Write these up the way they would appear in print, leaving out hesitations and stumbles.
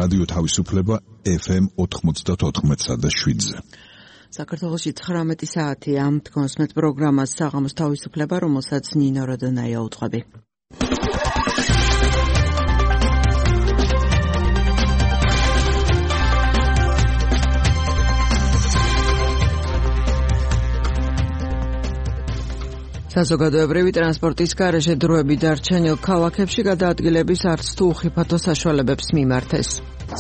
რადიო თავისუფლება FM 94.7-ზე. საქართველოში 19 საათია. თქვენს პროგრამას საღამოს თავისუფლება, რომელსაც ნინო როდონაია უძღვები. საზოგადოებრივი ტრანსპორტის გარეშე დროები დარჩენილ ქალაქებში გადაადგილების არც თუ უხიფათო საშუალებებს მიმართეს.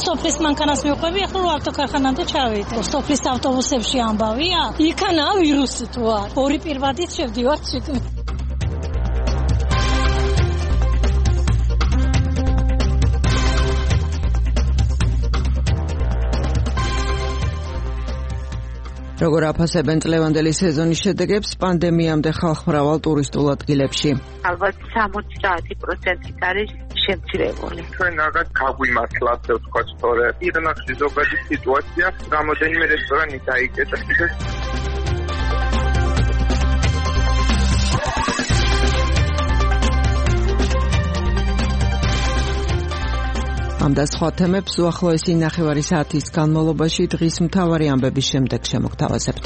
სოფლის მანქანას მივყვები, ახლა ავტოქარხანამდე ჩავიდე. სოფლის ავტობუსებში ამბავია, იქანა ვირუსი თუ არ. ორი პირვადით შევდივართ შიგნით. როგორ აფასებენ წლევანდელი სეზონის შედეგებს პანდემიამდე ხალხმრავალ ტურისტულ ადგილებში? ალბათ 70% არის შემცირებული. ჩვენ რაღაც გაგვიმართლათ თქვა სწორე. ირნახში ზოგადი სიტუაცია, რამოდენიმე რესტორანი დაიკეტა და ამ და სხვა თემებს უახლოესი ნახევარი საათის განმავლობაში დღის მთავარი ამბების შემდეგ შემოგთავაზებთ.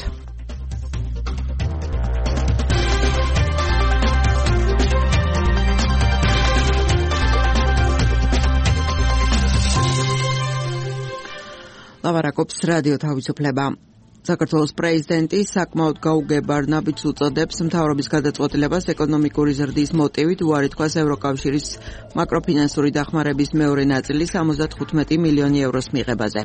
ლავარაკობს რადიო თავისუფლება. საქართველოს პრეზიდენტი საკმაოდ გაუგებარ ნაბიჯს უწოდებს მთავრობის გადაწყვეტილებას ეკონომიკური ზრდის მოტივით უარი თქვას ევროკავშირის მაკროფინანსური დახმარების მეორე ნაწილის 75 მილიონი ევროს მიღებაზე.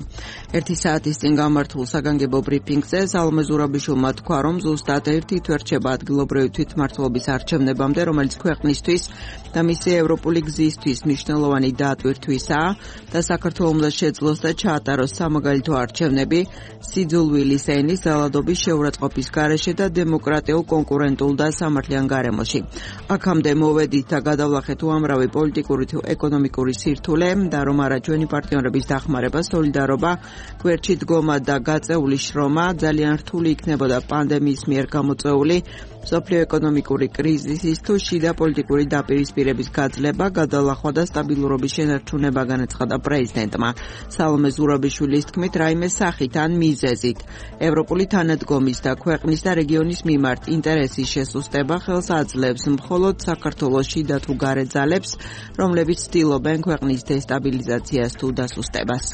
1 საათის წინ გამართულ საგანგებო ბრიფინგზე სალომე ზურაბიშვილმა თქვა, რომ ზუსტად ერთი თვერჩება ადგილობრივი თვითმმართველობის არჩევნებამდე, რომელიც ქვეყნისთვის და მისი ევროპული გზისთვის მნიშვნელოვანი დაატვირთვისაა და საქართველოს უნდა შეძლოს და ჩაატაროს სამაგალითო არჩევნები სიძულვილის ენის ძალადობის შეურაცხყოფის გარეშე და დემოკრატიულ, კონკურენტულ და სამართლიან გარემოში. აქამდე მოვედით და გადავლახეთ უამრავი პოლიტიკური თუ ეკონომიკური სირთულე და რომ არა ჩვენი პარტნიორების დახმარება, სოლიდარობა, გვერდში დგომა და გაწეული შრომა ძალიან რთული იქნებოდა პანდემიის მიერ გამოწვეული მსოფლიო ეკონომიკური კრიზისის თუ შიდა პოლიტიკური დაპირისპირების გაძლება, გადალახვა და სტაბილურობის შენარჩუნება განაცხადა პრეზიდენტმა. სალომე ზურაბიშვილის თქმით, რაიმე სახით ან მიზეზით ევროპული თანადგომის და ქვეყნის და რეგიონის მიმართ ინტერესის შესუსტება ხელს აძლევს მხოლოდ საქართველოს შიდა თუ გარე ძალებს, რომლებიც ცდილობენ ქვეყნის დესტაბილიზაციას თუ დასუსტებას.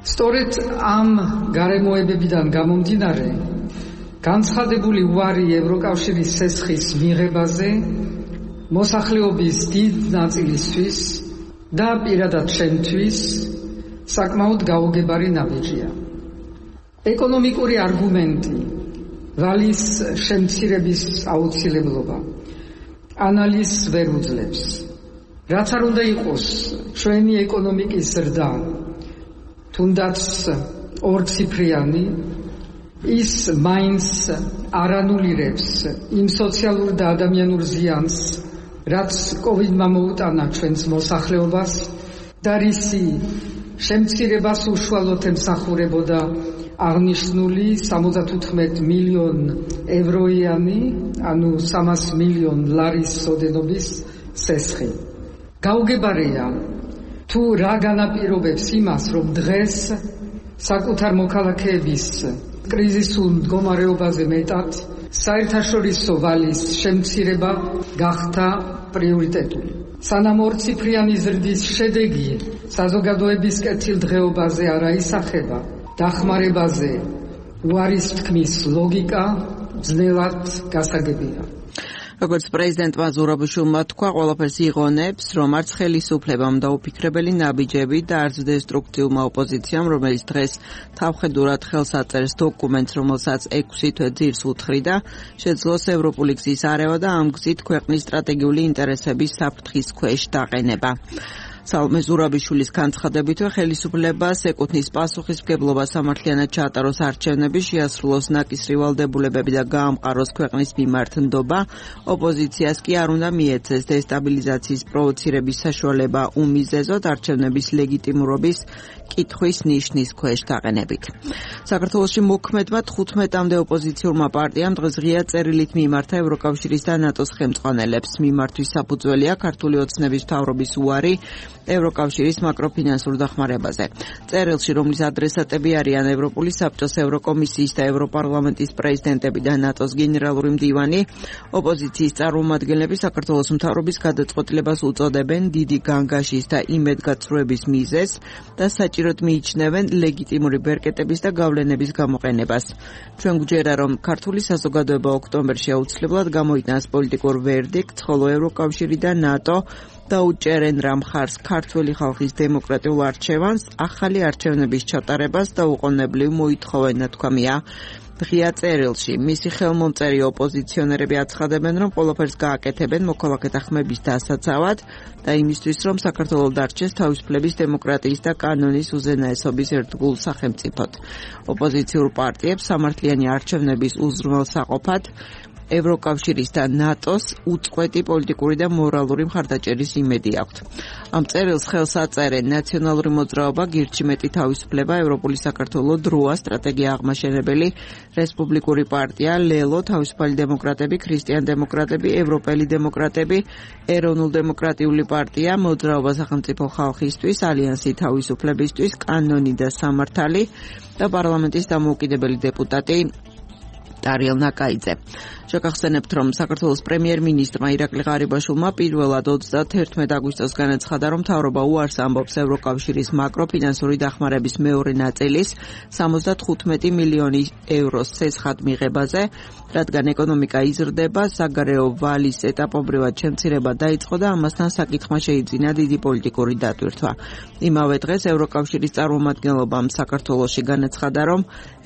სწორედ ამ გარემოებებიდან გამომდინარე, განცხადებული უარი ევროკავშირის სესხის მიღებაზე მოსახლეობის დიდ ნაწილისთვის და პირადად ჩემთვის საკმაოდ გაუგებარი ნაბიჯია. ეკონომიკური არგუმენტი, ვალის შემცირების აუცილებლობა, ანალიზს ვერ უძლებს. რაც არ უნდა იყოს ჩვენი ეკონომიკის ზრდა, თუნდაც ორციფრიანი, ის მაინც არ ანულირებს იმ სოციალურ და ადამიანურ ზიანს, რაც კოვიდმა მოუტანა ჩვენს მოსახლეობას და რისი შემცირებას უშუალოდ ემსახურებოდა აღნიშნული 74 მილიონ ევროიანი, ანუ 300 მილიონ ლარის ოდენობის სესხი. გაუგებარია თუ რა განაპირობებს იმას, რომ დღეს საკუთარ მოქალაქეების კრიზისულ მდგომარეობაზე მეტად საერთაშორისო ვალის შემცირება გახდა პრიორიტეტული. სანამ ორციფრიანი ზრდის შედეგი საზოგადოების კეთილდღეობაზე არ აისახება, დახმარებაზე უარის თქმის ლოგიკა ძნელად გასაგებია. როგორც პრეზიდენტმა ზურაბიშვილმა თქვა, ყველაფერს იღონებს, რომ არც ხელისუფლებამ და უფიქრებელი ნაბიჯები და არც დესტრუქციულმა ოპოზიციამ, რომელიც დღეს თავხედურად ხელს აწერს დოკუმენტს, რომელსაც 6 თვე ძირს უთხრიდა, შეძლოს ევროპული გზის არევა და ამ გზით ქვეყნის სტრატეგიული ინტერესების საფრთხის ქვეშ დაყენება. სალომე ზურაბიშვილის განცხადებითვე ხელისუფლებას ეკუთვნის პასუხისმგებლობა სამართლიანად ჩაატაროს არჩევნები, შეასრულოს ნაკისრი ვალდებულებები და გაამყაროს ქვეყნის მიმართ ნდობა, ოპოზიციას კი არ უნდა მიეცეს დესტაბილიზაციის პროვოცირების საშუალება უმიზეზოდ არჩევნების ლეგიტიმურობის კითხვის ნიშნის ქვეშ დაყენებით. საქართველოში მოქმედმა 15-მდე ოპოზიციურმა პარტიამ დღეს ღია წერილით მიმართა ევროკავშირის და ნატოს ხელმძღვანელებს. მიმართვის საფუძველია ქართული ოცნების მთავრობის უარი ევროკავშირის მაკროფინანსურ დახმარებაზე. წერილში, რომლის ადრესატები არიან ევროპული საბჭოს, ევროკომისიის და ევროპარლამენტის პრეზიდენტები და ნატოს გენერალური მდივანი, ოპოზიციის წარმომადგენლები საქართველოს მთავრობის გადაწყვეტილებას უწოდებენ დიდი განგაშის და იმედგაცრუების მიზეზს და საჭიროდ მიიჩნევენ ლეგიტიმური ბერკეტების და გავლენების გამოყენებას. ჩვენ გვჯერა, რომ ქართული საზოგადოება ოქტომბერში აუცილებლად გამოიტანს პოლიტიკურ ვერდიქტს, ხოლო ევროკავშირი და ნატო დაუჭერენ რა მხარს ქართველი ხალხის დემოკრატიულ არჩევანს, ახალი არჩევნების ჩატარებას და უყოვნებლივ მოითხოვენ, ნათქვამია ღია წერილში. მისი ხელმომწერი ოპოზიციონერები აცხადებენ, რომ ყველაფერს გააკეთებენ მოქალაქეთა ხმების დასაცავად და იმისთვის, რომ საქართველოს დარჩეს თავისუფლების, დემოკრატიის და კანონის უზენაესობის ერთგულ სახელმწიფოდ. ოპოზიციურ პარტიებს სამართლიანი არჩევნების უზრუნველსაყოფად ევროკავშირის და ნატოს უწყვეტი პოლიტიკური და მორალური მხარდაჭერის იმედი აქვთ. ამ წერილს ხელს აწერენ ნაციონალური მოძრაობა, გირჩი მეტი თავისუფლება, ევროპული საქართველო, დროა, სტრატეგია აღმაშენებელი, რესპუბლიკური პარტია, ლელო, თავისუფალი დემოკრატები, ქრისტიან-დემოკრატები, ევროპელი დემოკრატები, ეროვნულ-დემოკრატიული პარტია, მოძრაობა სახელმწიფო ხალხისთვის, ალიანსი თავისუფლებისთვის, კანონი და სამართალი და პარლამენტის დამოუკიდებელი დეპუტატი ტარიელ ნაკაიძე. შეგახსენებთ, რომ საქართველოს პრემიერ-მინისტრმა ირაკლი ღარიბაშვილმა პირველად 31 აგვისტოს განაცხადა, რომ მთავრობა უარს ამბობს ევროკავშირის მაკროფინანსური დახმარების მეორე ნაწილის 75 მილიონი ევროს ცესხად მიღებაზე, რადგან ეკონომიკა იზრდება, საგარეო ვალის ეტაპობრივად შემცირება დაიწყო და ამასთან საკითხმა შეიძინა დიდი პოლიტიკური დატვირთვა. იმავე დღეს ევროკავშირის წარმომადგენლობამ საქართველოში განაცხადა, რომ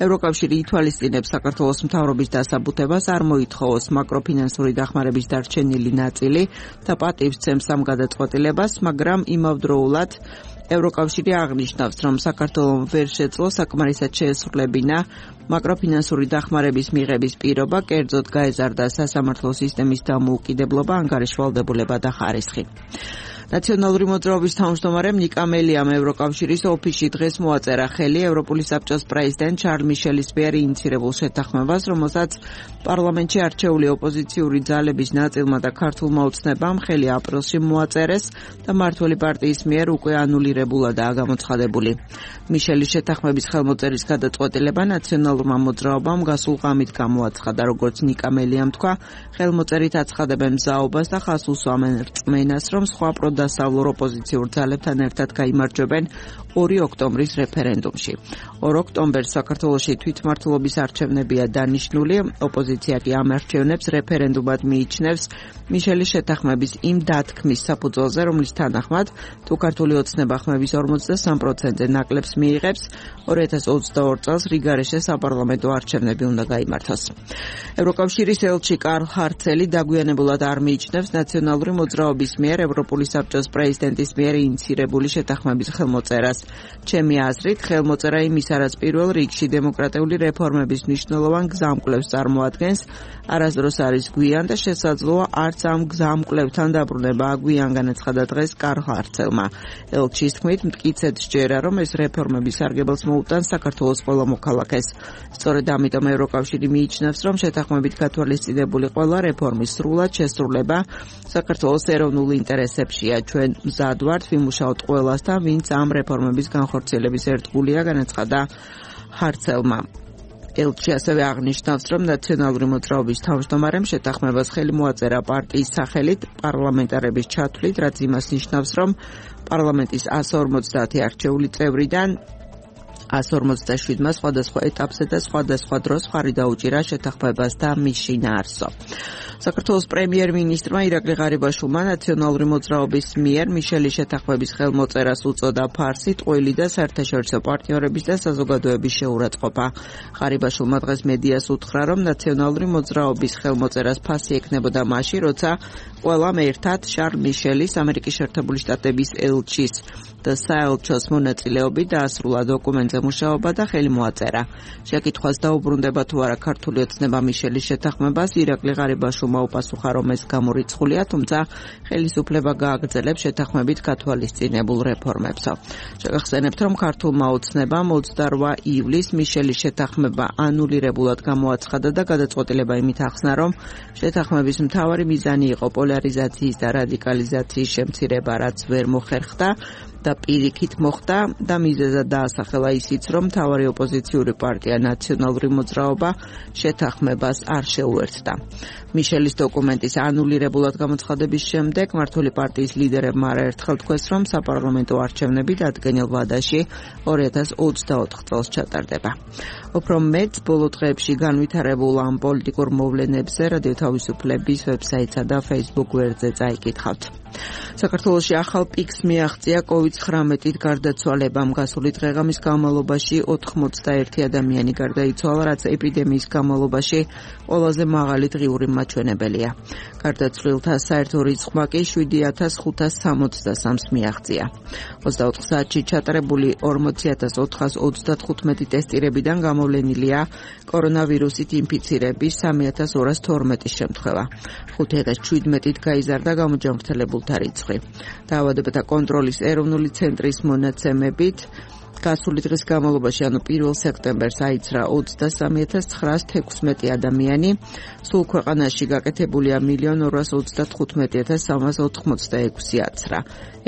ევროკავშირი ითვალისწინებს საქართველოს მთავრობის დასაბუთებას არ მოითხოვოს მაკროფინანსური დახმარების დარჩენილი ნაწილი და პატივს ცემს ამ გადაწყვეტილებას, მაგრამ იმავდროულად ევროკავშირი აღნიშნავს, რომ საქართველომ ვერ შეძლო საკმარისად შეესრულებინა მაკროფინანსური დახმარების მიღების პირობა, კერძოდ გაეზარდა სასამართლო სისტემის დამოუკიდებლობა, ანგარიშვალდებულება და ხარისხი. ნაციონალური მოძრაობის თავმჯდომარემ ნიკა მელიამ ევროკავშირის ოფისში დღეს მოაწერა ხელი ევროპული საბჭოს პრეზიდენტ შარლ მიშელის მიერ ინიცირებულ შეთანხმებას, რომელსაც პარლამენტში არჩეული ოპოზიციური ძალების ნაწილმა და ქართულმა ოცნებამ ხელი აპრილში მოაწერეს და მმართველი პარტიის მიერ უკვე ანულირებულადაა გამოცხადებული. მიშელის შეთანხმების ხელმოწერის გადაწყვეტილება ნაციონალურმა მოძრაობამ გასულ ღამით გამოაცხადა, როგორც ნიკა მელიამ თქვა, ხელმოწერით აცხადებენ მზაობას და ხაზს უსვამენ რწმენას, რომ სხვა დასავლურ ოპოზიციურ ძალებთან ერთად გაიმარჯვებენ 2 ოქტომბრის რეფერენდუმში. 2 ოქტომბერს საქართველოში თვითმმართველობის არჩევნებია დანიშნული, ოპოზიცია კი ამ არჩევნებს რეფერენდუმად მიიჩნევს მიშელის შეთანხმების იმ დათქმის საფუძველზე, რომლის თანახმად თუ ქართული ოცნება ხმების 53%-ზე ნაკლებს მიიღებს, 2022 წელს რიგარეშე საპარლამენტო არჩევნები უნდა გაიმართოს. ევროკავშირის ელჩი კარლ ჰარცელი დაგვიანებულად არ მიიჩნევს ნაციონალური მოძრაობის მიერ ევროპული საბჭოს პრეზიდენტის მიერ ინიცირებული შეთანხმების ხელმოწერას. ჩემი აზრით, ხელმოწერა იმის რაც პირველ რიგში დემოკრატიული რეფორმების მნიშვნელოვან გზამკვლევს წარმოადგენს, არასდროს არის გვიან და შესაძლოა არც ამ გზამკვლევთან დაბრუნება აგვიან, განაცხადა დღეს კარლ ჰარცელმა. ელჩის თქმით, მტკიცედ სჯერა, რომ ეს რეფორმები სარგებელს მოუტანს საქართველოს ყველა მოქალაქეს. სწორედ ამიტომ ევროკავშირი მიიჩნევს, რომ შეთანხმებით გათვალისწინებული ყველა რეფორმის სრულად შესრულება საქართველოს ეროვნულ ინტერესებშია. ჩვენ მზად ვართ ვიმუშაოთ ყველასთან, ვინც ამ რეფორმების განხორციელების ერთგულია, განაცხადა ჰარცელმა. ელჩი ასევე აღნიშნავს, რომ ნაციონალური მოძრაობის თავმჯდომარემ შეთანხმებას ხელი მოაწერა პარტიის სახელით პარლამენტარების ჩათვლით, რაც იმას ნიშნავს, რომ პარლამენტის 150 არჩეული წევრიდან 157-მა სხვადასხვა ეტაპზე და სხვადასხვა დროს ხარი დაუჭირა შეთანხმებას და მის შინაარსო. საქართველოს პრემიერ-მინისტრმა ირაკლი ღარიბაშვილმა ნაციონალური მოძრაობის მიერ მიშელის შეთანხმების ხელმოწერას უწოდა ფარსი, ტყვილი და საერთაშორისო პარტნიორების და საზოგადოების შეურაცხყოფა. ღარიბაშვილმა დღეს მედიას უთხრა, რომ ნაციონალური მოძრაობის ხელმოწერას ფასი ექნებოდა მაშინ, როცა ყველამ ერთად შარლ მიშელის, ამერიკის შეერთებული შტატების ელჩის და საელჩოს მონაწილეობით დაასრულა დოკუმენტზე საკითხებზე მუშაობა და ხელი მოაწერა. შეკითხვას დაუბრუნდება თუ არა ქართული ოცნება მიშელის შეთანხმებას, ირაკლი ღარიბაშვილმა უპასუხა, რომ ეს გამორიცხულია, თუმცა ხელისუფლება გააგრძელებს შეთანხმებით გათვალისწინებულ რეფორმებსო. შეგახსენებთ, რომ ქართულმა ოცნებამ 28 ივლისს მიშელის შეთანხმება ანულირებულად გამოაცხადა და გადაწყვეტილება იმით ახსნა, რომ შეთანხმების მთავარი მიზანი იყო პოლარიზაციის და რადიკალიზაციის შემცირება, რაც ვერ მოხერხდა და პირიქით მოხდა და მიზეზად დაასახელა ისიც, რომ მთავარი ოპოზიციური პარტია ნაციონალური მოძრაობა შეთანხმებას არ შეუერთდა. მიშელის დოკუმენტის ანულირებულად გამოცხადების შემდეგ მართული პარტიის ლიდერებმა არაერთხელ თქვეს, რომ საპარლამენტო არჩევნები დადგენილ ვადაში 2024 წელს ჩატარდება. უფრო მეტ ბოლო დღეებში განვითარებულ ამ პოლიტიკურ მოვლენებზე რადიო თავისუფლების ვებსაიტსა და Facebook გვერდზე წაიკითხავთ. საქართველოში ახალ პიკს მიაღწია COVID-19-ით გარდაცვალებამ. გასული დღეღამის განმავლობაში 81 ადამიანი გარდაიცვალა, რაც ეპიდემიის განმავლობაში ყველაზე მაღალი დღიური მაჩვენებელია. გარდაცვლილთა საერთო რიცხვმა კი 7563-ს მიაღწია. 24 საათში ჩატარებული 40435 ტესტირებიდან გამოვლენილია კორონავირუსით ინფიცირების 3212 შემთხვევა. 5017-ით გაიზარდა გამოჯანმრთელებულთა რიცხვი. დაავადებათა კონტროლის ეროვნული ცენტრის მონაცემებით გასული დღის განმავლობაში, ანუ 1 სექტემბერს აიცრა 23916 ადამიანი, სულ ქვეყანაში გაკეთებულია 1,235,386 აცრა.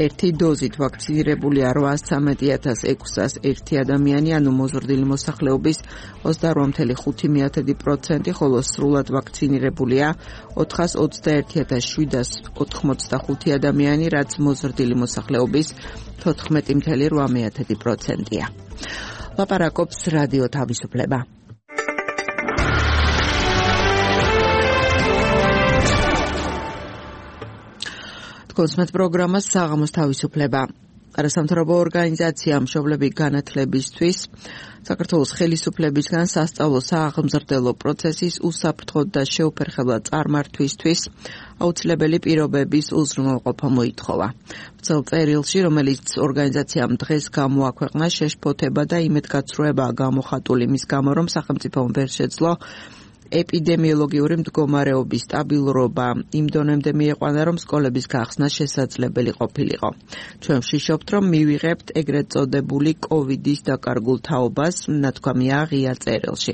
ერთი დოზით ვაქცინირებულია 813,601 ადამიანი, ანუ მოზრდილი მოსახლეობის 28.5%, ხოლო სრულად ვაქცინირებულია 421,785 ადამიანი, რაც მოზრდილი მოსახლეობის 14.8%-ია. ლაპარაკობს რადიო თავისუფლება. კონსმეთ პროგრამას საღამოს თავისუფლება. არასამთავრობო ორგანიზაცია მშობლები განათლებისთვის საქართველოს ხელისუფლებისგან სასწავლო სააღმზრდელო პროცესის უსაფრთხოდ და შეუფერხებლად წარმართვისთვის აუცილებელი პირობების უზრუნველყოფა მოითხოვა. ბრძოლ წერილში, რომელიც ორგანიზაციამ დღეს გამოაქვეყნა, შეშფოთება და იმედგაცრუებაა გამოხატული მის გამო, რომ სახელმწიფომ ვერ შეძლო ეპიდემიოლოგიური მდგომარეობის სტაბილურობა იმ დონემდე მიიყვანა, რომ სკოლების გახსნა შესაძლებელი ყოფილიყო. ჩვენ ვშიშობთ, რომ მივიღებთ ეგრეთ წოდებული კოვიდის დაკარგულ თაობას, ნათქვამია ღია წერილში.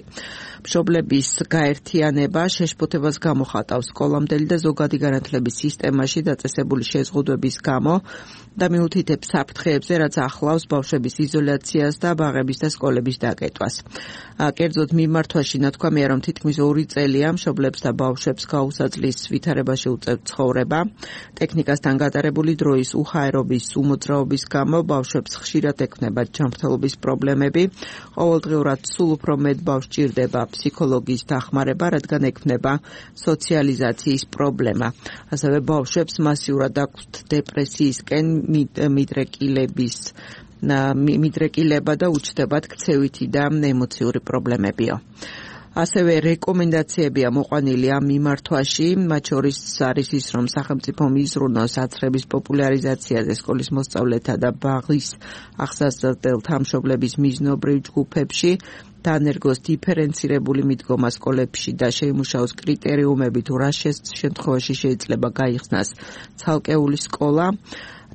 მშობლების გაერთიანება შეშფოთებას გამოხატავს სკოლამდელი და ზოგადი განათლების სისტემაში დაწესებული შეზღუდვების გამო და მიუთითებს საფრთხეებზე, რაც ახლავს ბავშვების იზოლაციას და ბაღების და სკოლების დაკეტვას. კერძოდ მიმართვაში ნათქვამია, რომ თითქმის 2 წელია მშობლებს და ბავშვებს გაუსაძლის ვითარებაში უწევთ ცხოვრება. ტექნიკასთან გატარებული დროის უხაერობის უმოძრაობის გამო ბავშვებს ხშირად ექმნებათ ჯანმრთელობის პრობლემები. ყოველდღიურად სულ უფრო მეტ ბავშვს ჭირდება ფსიქოლოგიის დახმარება, რადგან ექმნება სოციალიზაციის პრობლემა. ასევე ბავშვებს მასიურად აქვთ დეპრესიისკენ მიდრეკილება და უჩნდებათ ქცევითი და ემოციური პრობლემებიო. ასევე რეკომენდაციებია მოყვანილი ამ მიმართვაში, მათ შორის არის ის, რომ სახელმწიფო მიზრუნოს აცრების პოპულარიზაციაზე სკოლის მოსწავლეთა და ბაღის აღსასწრებელთა მშობლების მიზნობრივ ჯგუფებში, დანერგოს დიფერენცირებული მიდგომა სკოლებში და შეიმუშაოს კრიტერიუმები, თუ რა შემთხვევაში შეიძლება გაიხსნას ცალკეული სკოლა.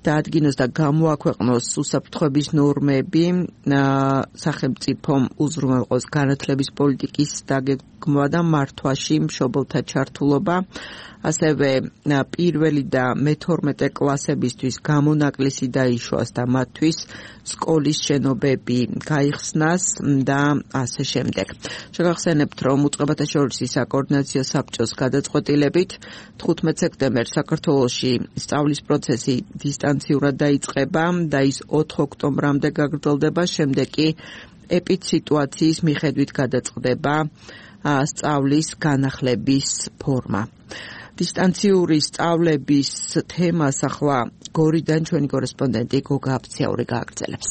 დაადგინოს და გამოაქვეყნოს უსაფრთხოების ნორმები, სახელმწიფომ უზრუნველყოს განათლების პოლიტიკის დაგეგმვა და მართვაში მშობელთა ჩართულობა, ასევე პირველი და მე-12 კლასებისთვის გამონაკლისი დაიშვას და მათთვის სკოლის შენობები გაიხსნას და ასე შემდეგ. შეგახსენებთ, რომ უწყებათა შორის საკოორდინაციო საბჭოს გადაწყვეტილებით 15 სექტემბერს საქართველოში სწავლის პროცესი დისტანციურად დაიწყება და ის 4 ოქტომბრამდე გაგრძელდება, შემდეგ კი ეპიდსიტუაციის მიხედვით გადაწყდება სწავლის განახლების ფორმა. დისტანციური სწავლების თემას ახლა გორიდან ჩვენი კორესპონდენტი გოგა აფციაური გააგრძელებს.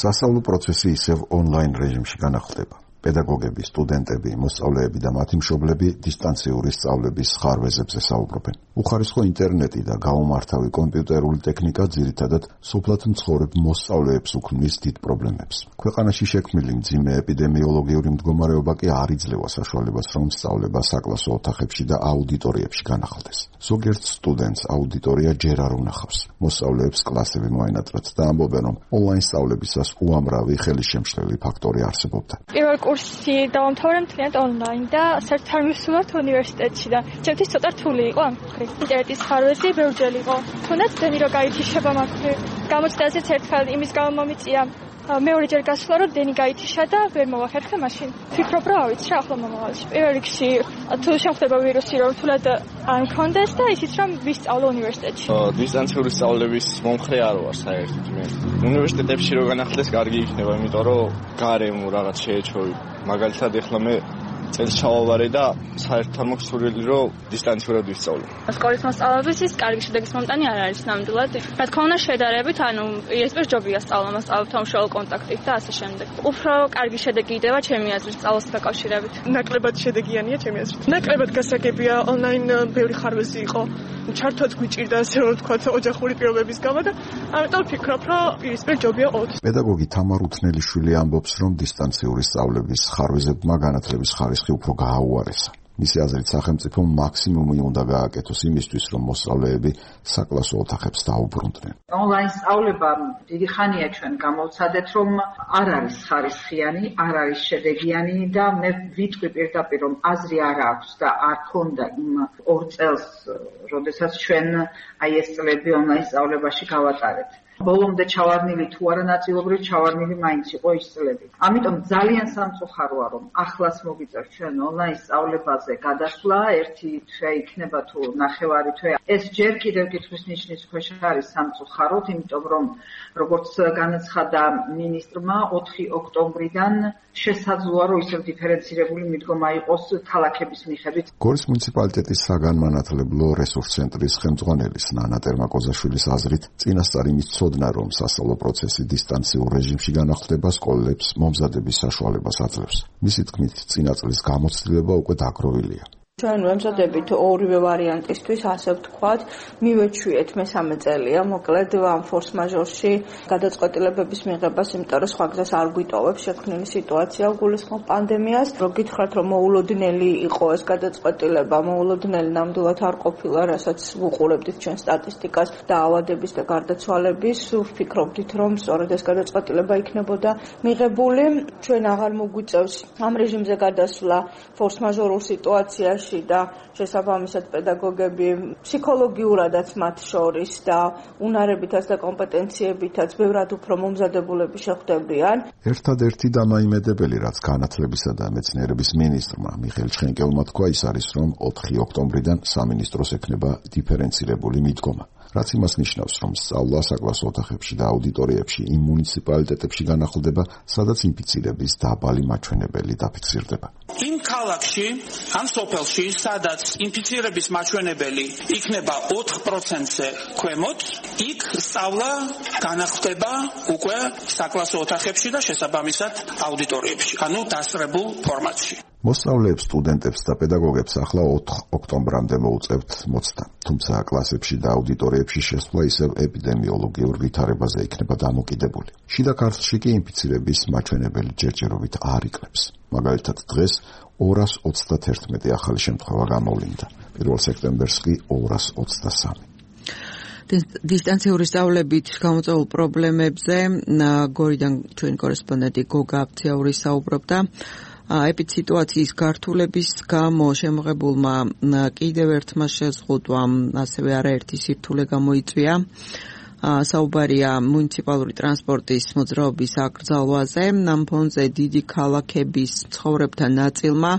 სასწავლო პროცესი ისევ ონლაინ რეჟიმში განახლდება. პედაგოგები, სტუდენტები, მოსწავლეები და მათი მშობლები დისტანციური სწავლების ხარვეზებზე საუბრობენ. უხარისხო ინტერნეტი და გაუმართავი კომპიუტერული ტექნიკა ძირითადად სოფლად მცხოვრებ მოსწავლეებს უქმნის დიდ პრობლემებს. ქვეყანაში შექმნილი მძიმე ეპიდემიოლოგიური მდგომარეობა კი არ იძლევა საშუალებას, რომ სწავლება საკლასო ოთახებში და აუდიტორიებში განახლდეს. ზოგიერთ სტუდენტს აუდიტორია ჯერ არ უნახავს. მოსწავლეებს კლასები მოენატრათ და ამბობენ, რომ ონლაინ სწავლებისას უამრავი ხელისშემშლელი ფაქტორი არსებობდა. პირველ კურსი დავამთავრე მთლიანად ონლაინ და საერთოდ არ მივსულართ უნივერსიტეტში და ჩემთვის ცოტა რთული იყო ამ მხრივ. ინტერნეტის ხარვეზი ბევრჯერ იყო. თუნდაც დენი რო გაითიშება მაგ მხრივ. გამოცდაზეც ერთხელ იმის გამო მომიწია მეორეჯერ გასვლა რომ დენი გაითიშა და ვერ მოვახერხე მაშინ. ვფიქრობ რომ ავიცი რა ახლა მომავალში. პირველ რიგში თუ შეხვდება ვირუსი რომ თულად არ მქონდეს და ისიც რომ ვისწავლო უნივერსიტეტში. დისტანციური სწავლების მომხრე არ ვარ საერთოდ მე. უნივერსიტეტებში რო განახლდეს კარგი იქნება, იმიტომ რომ გარემო რაღაც შეეჩვევი. მაგალითად ეხლა მე წელს ჩავავარე და საერთოდ არ მაქვს სურვილი რომ დისტანციურად ვისწავლო. სკოლის მოსწავლეების ის კარგი შედეგის მომტანი არ არის ნამდვილად. რა თქმა უნდა შედარებით, ანუ იესპერ ჯობია სწავლა მოსწავლეებთან უშუალო კონტაქტით და ასე შემდეგ. უფრო კარგი შედეგი იდება ჩემი აზრით სწავლასთან დაკავშირებით. ნაკლებად შედეგიანია ჩემი აზრით. ნაკლებად გასაგებია ონლაინ ბევრი ხარვეზი იყო. ჩართვაც გვიჭირდა ასე რომ ვთქვათ ოჯახური პირობების გამო და ამიტომ ვფიქრობ რომ პირისპირ ჯობია 20. პედაგოგი თამარ უთნელიშვილი ამბობს, რომ დისტანციური სწავლების ხარვეზებმა განათლების ხარისხი უფრო გააუარესა. მისი აზრით სახელმწიფომ მაქსიმუმი უნდა გააკეთოს იმისთვის, რომ მოსწავლეები საკლასო ოთახებს დაუბრუნდნენ. ონლაინ სწავლება დიდი ხანია ჩვენ გამოვცადეთ, რომ არ არის ხარისხიანი, არ არის შედეგიანი და მე ვიტყვი პირდაპირ, რომ აზრი არ აქვს და არ ქონდა იმ 2 წელს, როდესაც ჩვენ აი ეს წლები ონლაინ სწავლებაში გავატარეთ. ბოლომდე ჩავარნილი თუ არა ნაწილობრივ ჩავარნილი მაინც იყო ის წლები. ამიტომ ძალიან სამწუხაროა რომ ახლაც მოგიწევს ჩვენ ონლაინ სწავლებაზე გადასვლა, ერთი თვე იქნება თუ ნახევარი თვე. ეს ჯერ კიდევ კითხვის ნიშნის ქვეშ არის სამწუხაროდ, იმიტომ რომ როგორც განაცხადა მინისტრმა 4 ოქტომბრიდან შესაძლოა რომ ისევ დიფერენცირებული მიდგომა იყოს ქალაქების მიხედვით. გორის მუნიციპალიტეტის საგანმანათლებლო რესურს ცენტრის ხელმძღვანელის ნანა ტერმაკოზაშვილის აზრით, წინასწარ იმის ცოდნა, რომ სასწავლო პროცესი დისტანციურ რეჟიმში განახლდება, სკოლებს მომზადების საშუალებას აძლევს. მისი თქმით, წინა წლის გამოცდილება უკვე დაგროვილია. ჩვენ ვემზადებით ორივე ვარიანტისთვის, ასე ვთქვათ, მივეჩვიეთ მესამე წელია, მოკლედ ამ ფორს მაჟორში გადაწყვეტილებების მიღებას, იმიტომ რომ სხვა გზას არ გვიტოვებს შექმნილი სიტუაცია გულისხმობ პანდემიას. რო გითხრათ, რომ მოულოდნელი იყო ეს გადაწყვეტილება, მოულოდნელი ნამდვილად არ ყოფილა, რასაც ვუყურებდით ჩვენ სტატისტიკას და ავადების და გარდაცვალების, ვფიქრობდით, რომ სწორედ ეს გადაწყვეტილება იქნებოდა მიღებული. ჩვენ აღარ მოგვიწევს ამ რეჟიმზე გადასვლა ფორს მაჟორულ სიტუაციაში და შესაბამისად პედაგოგები ფსიქოლოგიურადაც მათ შორის და უნარებითაც და კომპეტენციებითაც ბევრად უფრო მომზადებულები შეხვდებიან. ერთადერთი დამაიმედებელი, რაც განათლებისა და მეცნიერების მინისტრმა მიხეილ ჩხენკელმა თქვა, ის არის, რომ 4 ოქტომბრიდან სამინისტროს ექნება დიფერენცირებული მიდგომა. რაც იმას ნიშნავს, რომ სწავლა საკლასო ოთახებში და აუდიტორიებში იმ მუნიციპალიტეტებში განახლდება, სადაც ინფიცირების დაბალი მაჩვენებელი დაფიქსირდება. იმ ქალაქში, ან სოფელში, სადაც ინფიცირების მაჩვენებელი იქნება 4%-ზე ქვემოთ, იქ სწავლა განახლდება უკვე საკლასო ოთახებში და შესაბამისად აუდიტორიებში, ანუ დასწრებულ ფორმატში. მოსწავლეებს, სტუდენტებს და პედაგოგებს ახლა 4 ოქტომბრამდე მოუწევთ მოცდა. თუმცა კლასებში და აუდიტორიებში შესვლა ისევ ეპიდემიოლოგიურ ვითარებაზე იქნება დამოკიდებული. შიდა ქართლში კი ინფიცირების მაჩვენებელი ჯერჯერობით არ იკლებს. მაგალითად დღეს 221 ახალი შემთხვევა გამოვლინდა. 1 სექტემბერს კი 223. დისტანციური სწავლებით გამოწვეულ პრობლემებზე გორიდან ჩვენი კორესპონდენტი გოგა აფციაური საუბრობდა. ეპიდსიტუაციის გართულების გამო შემოღებულმა კიდევ ერთმა შეზღუდვამ, ასევე არაერთი სირთულე გამოიწვია. საუბარია მუნიციპალური ტრანსპორტის მოძრაობის აკრძალვაზე. ამ ფონზე დიდი ქალაქების მცხოვრებთა ნაწილმა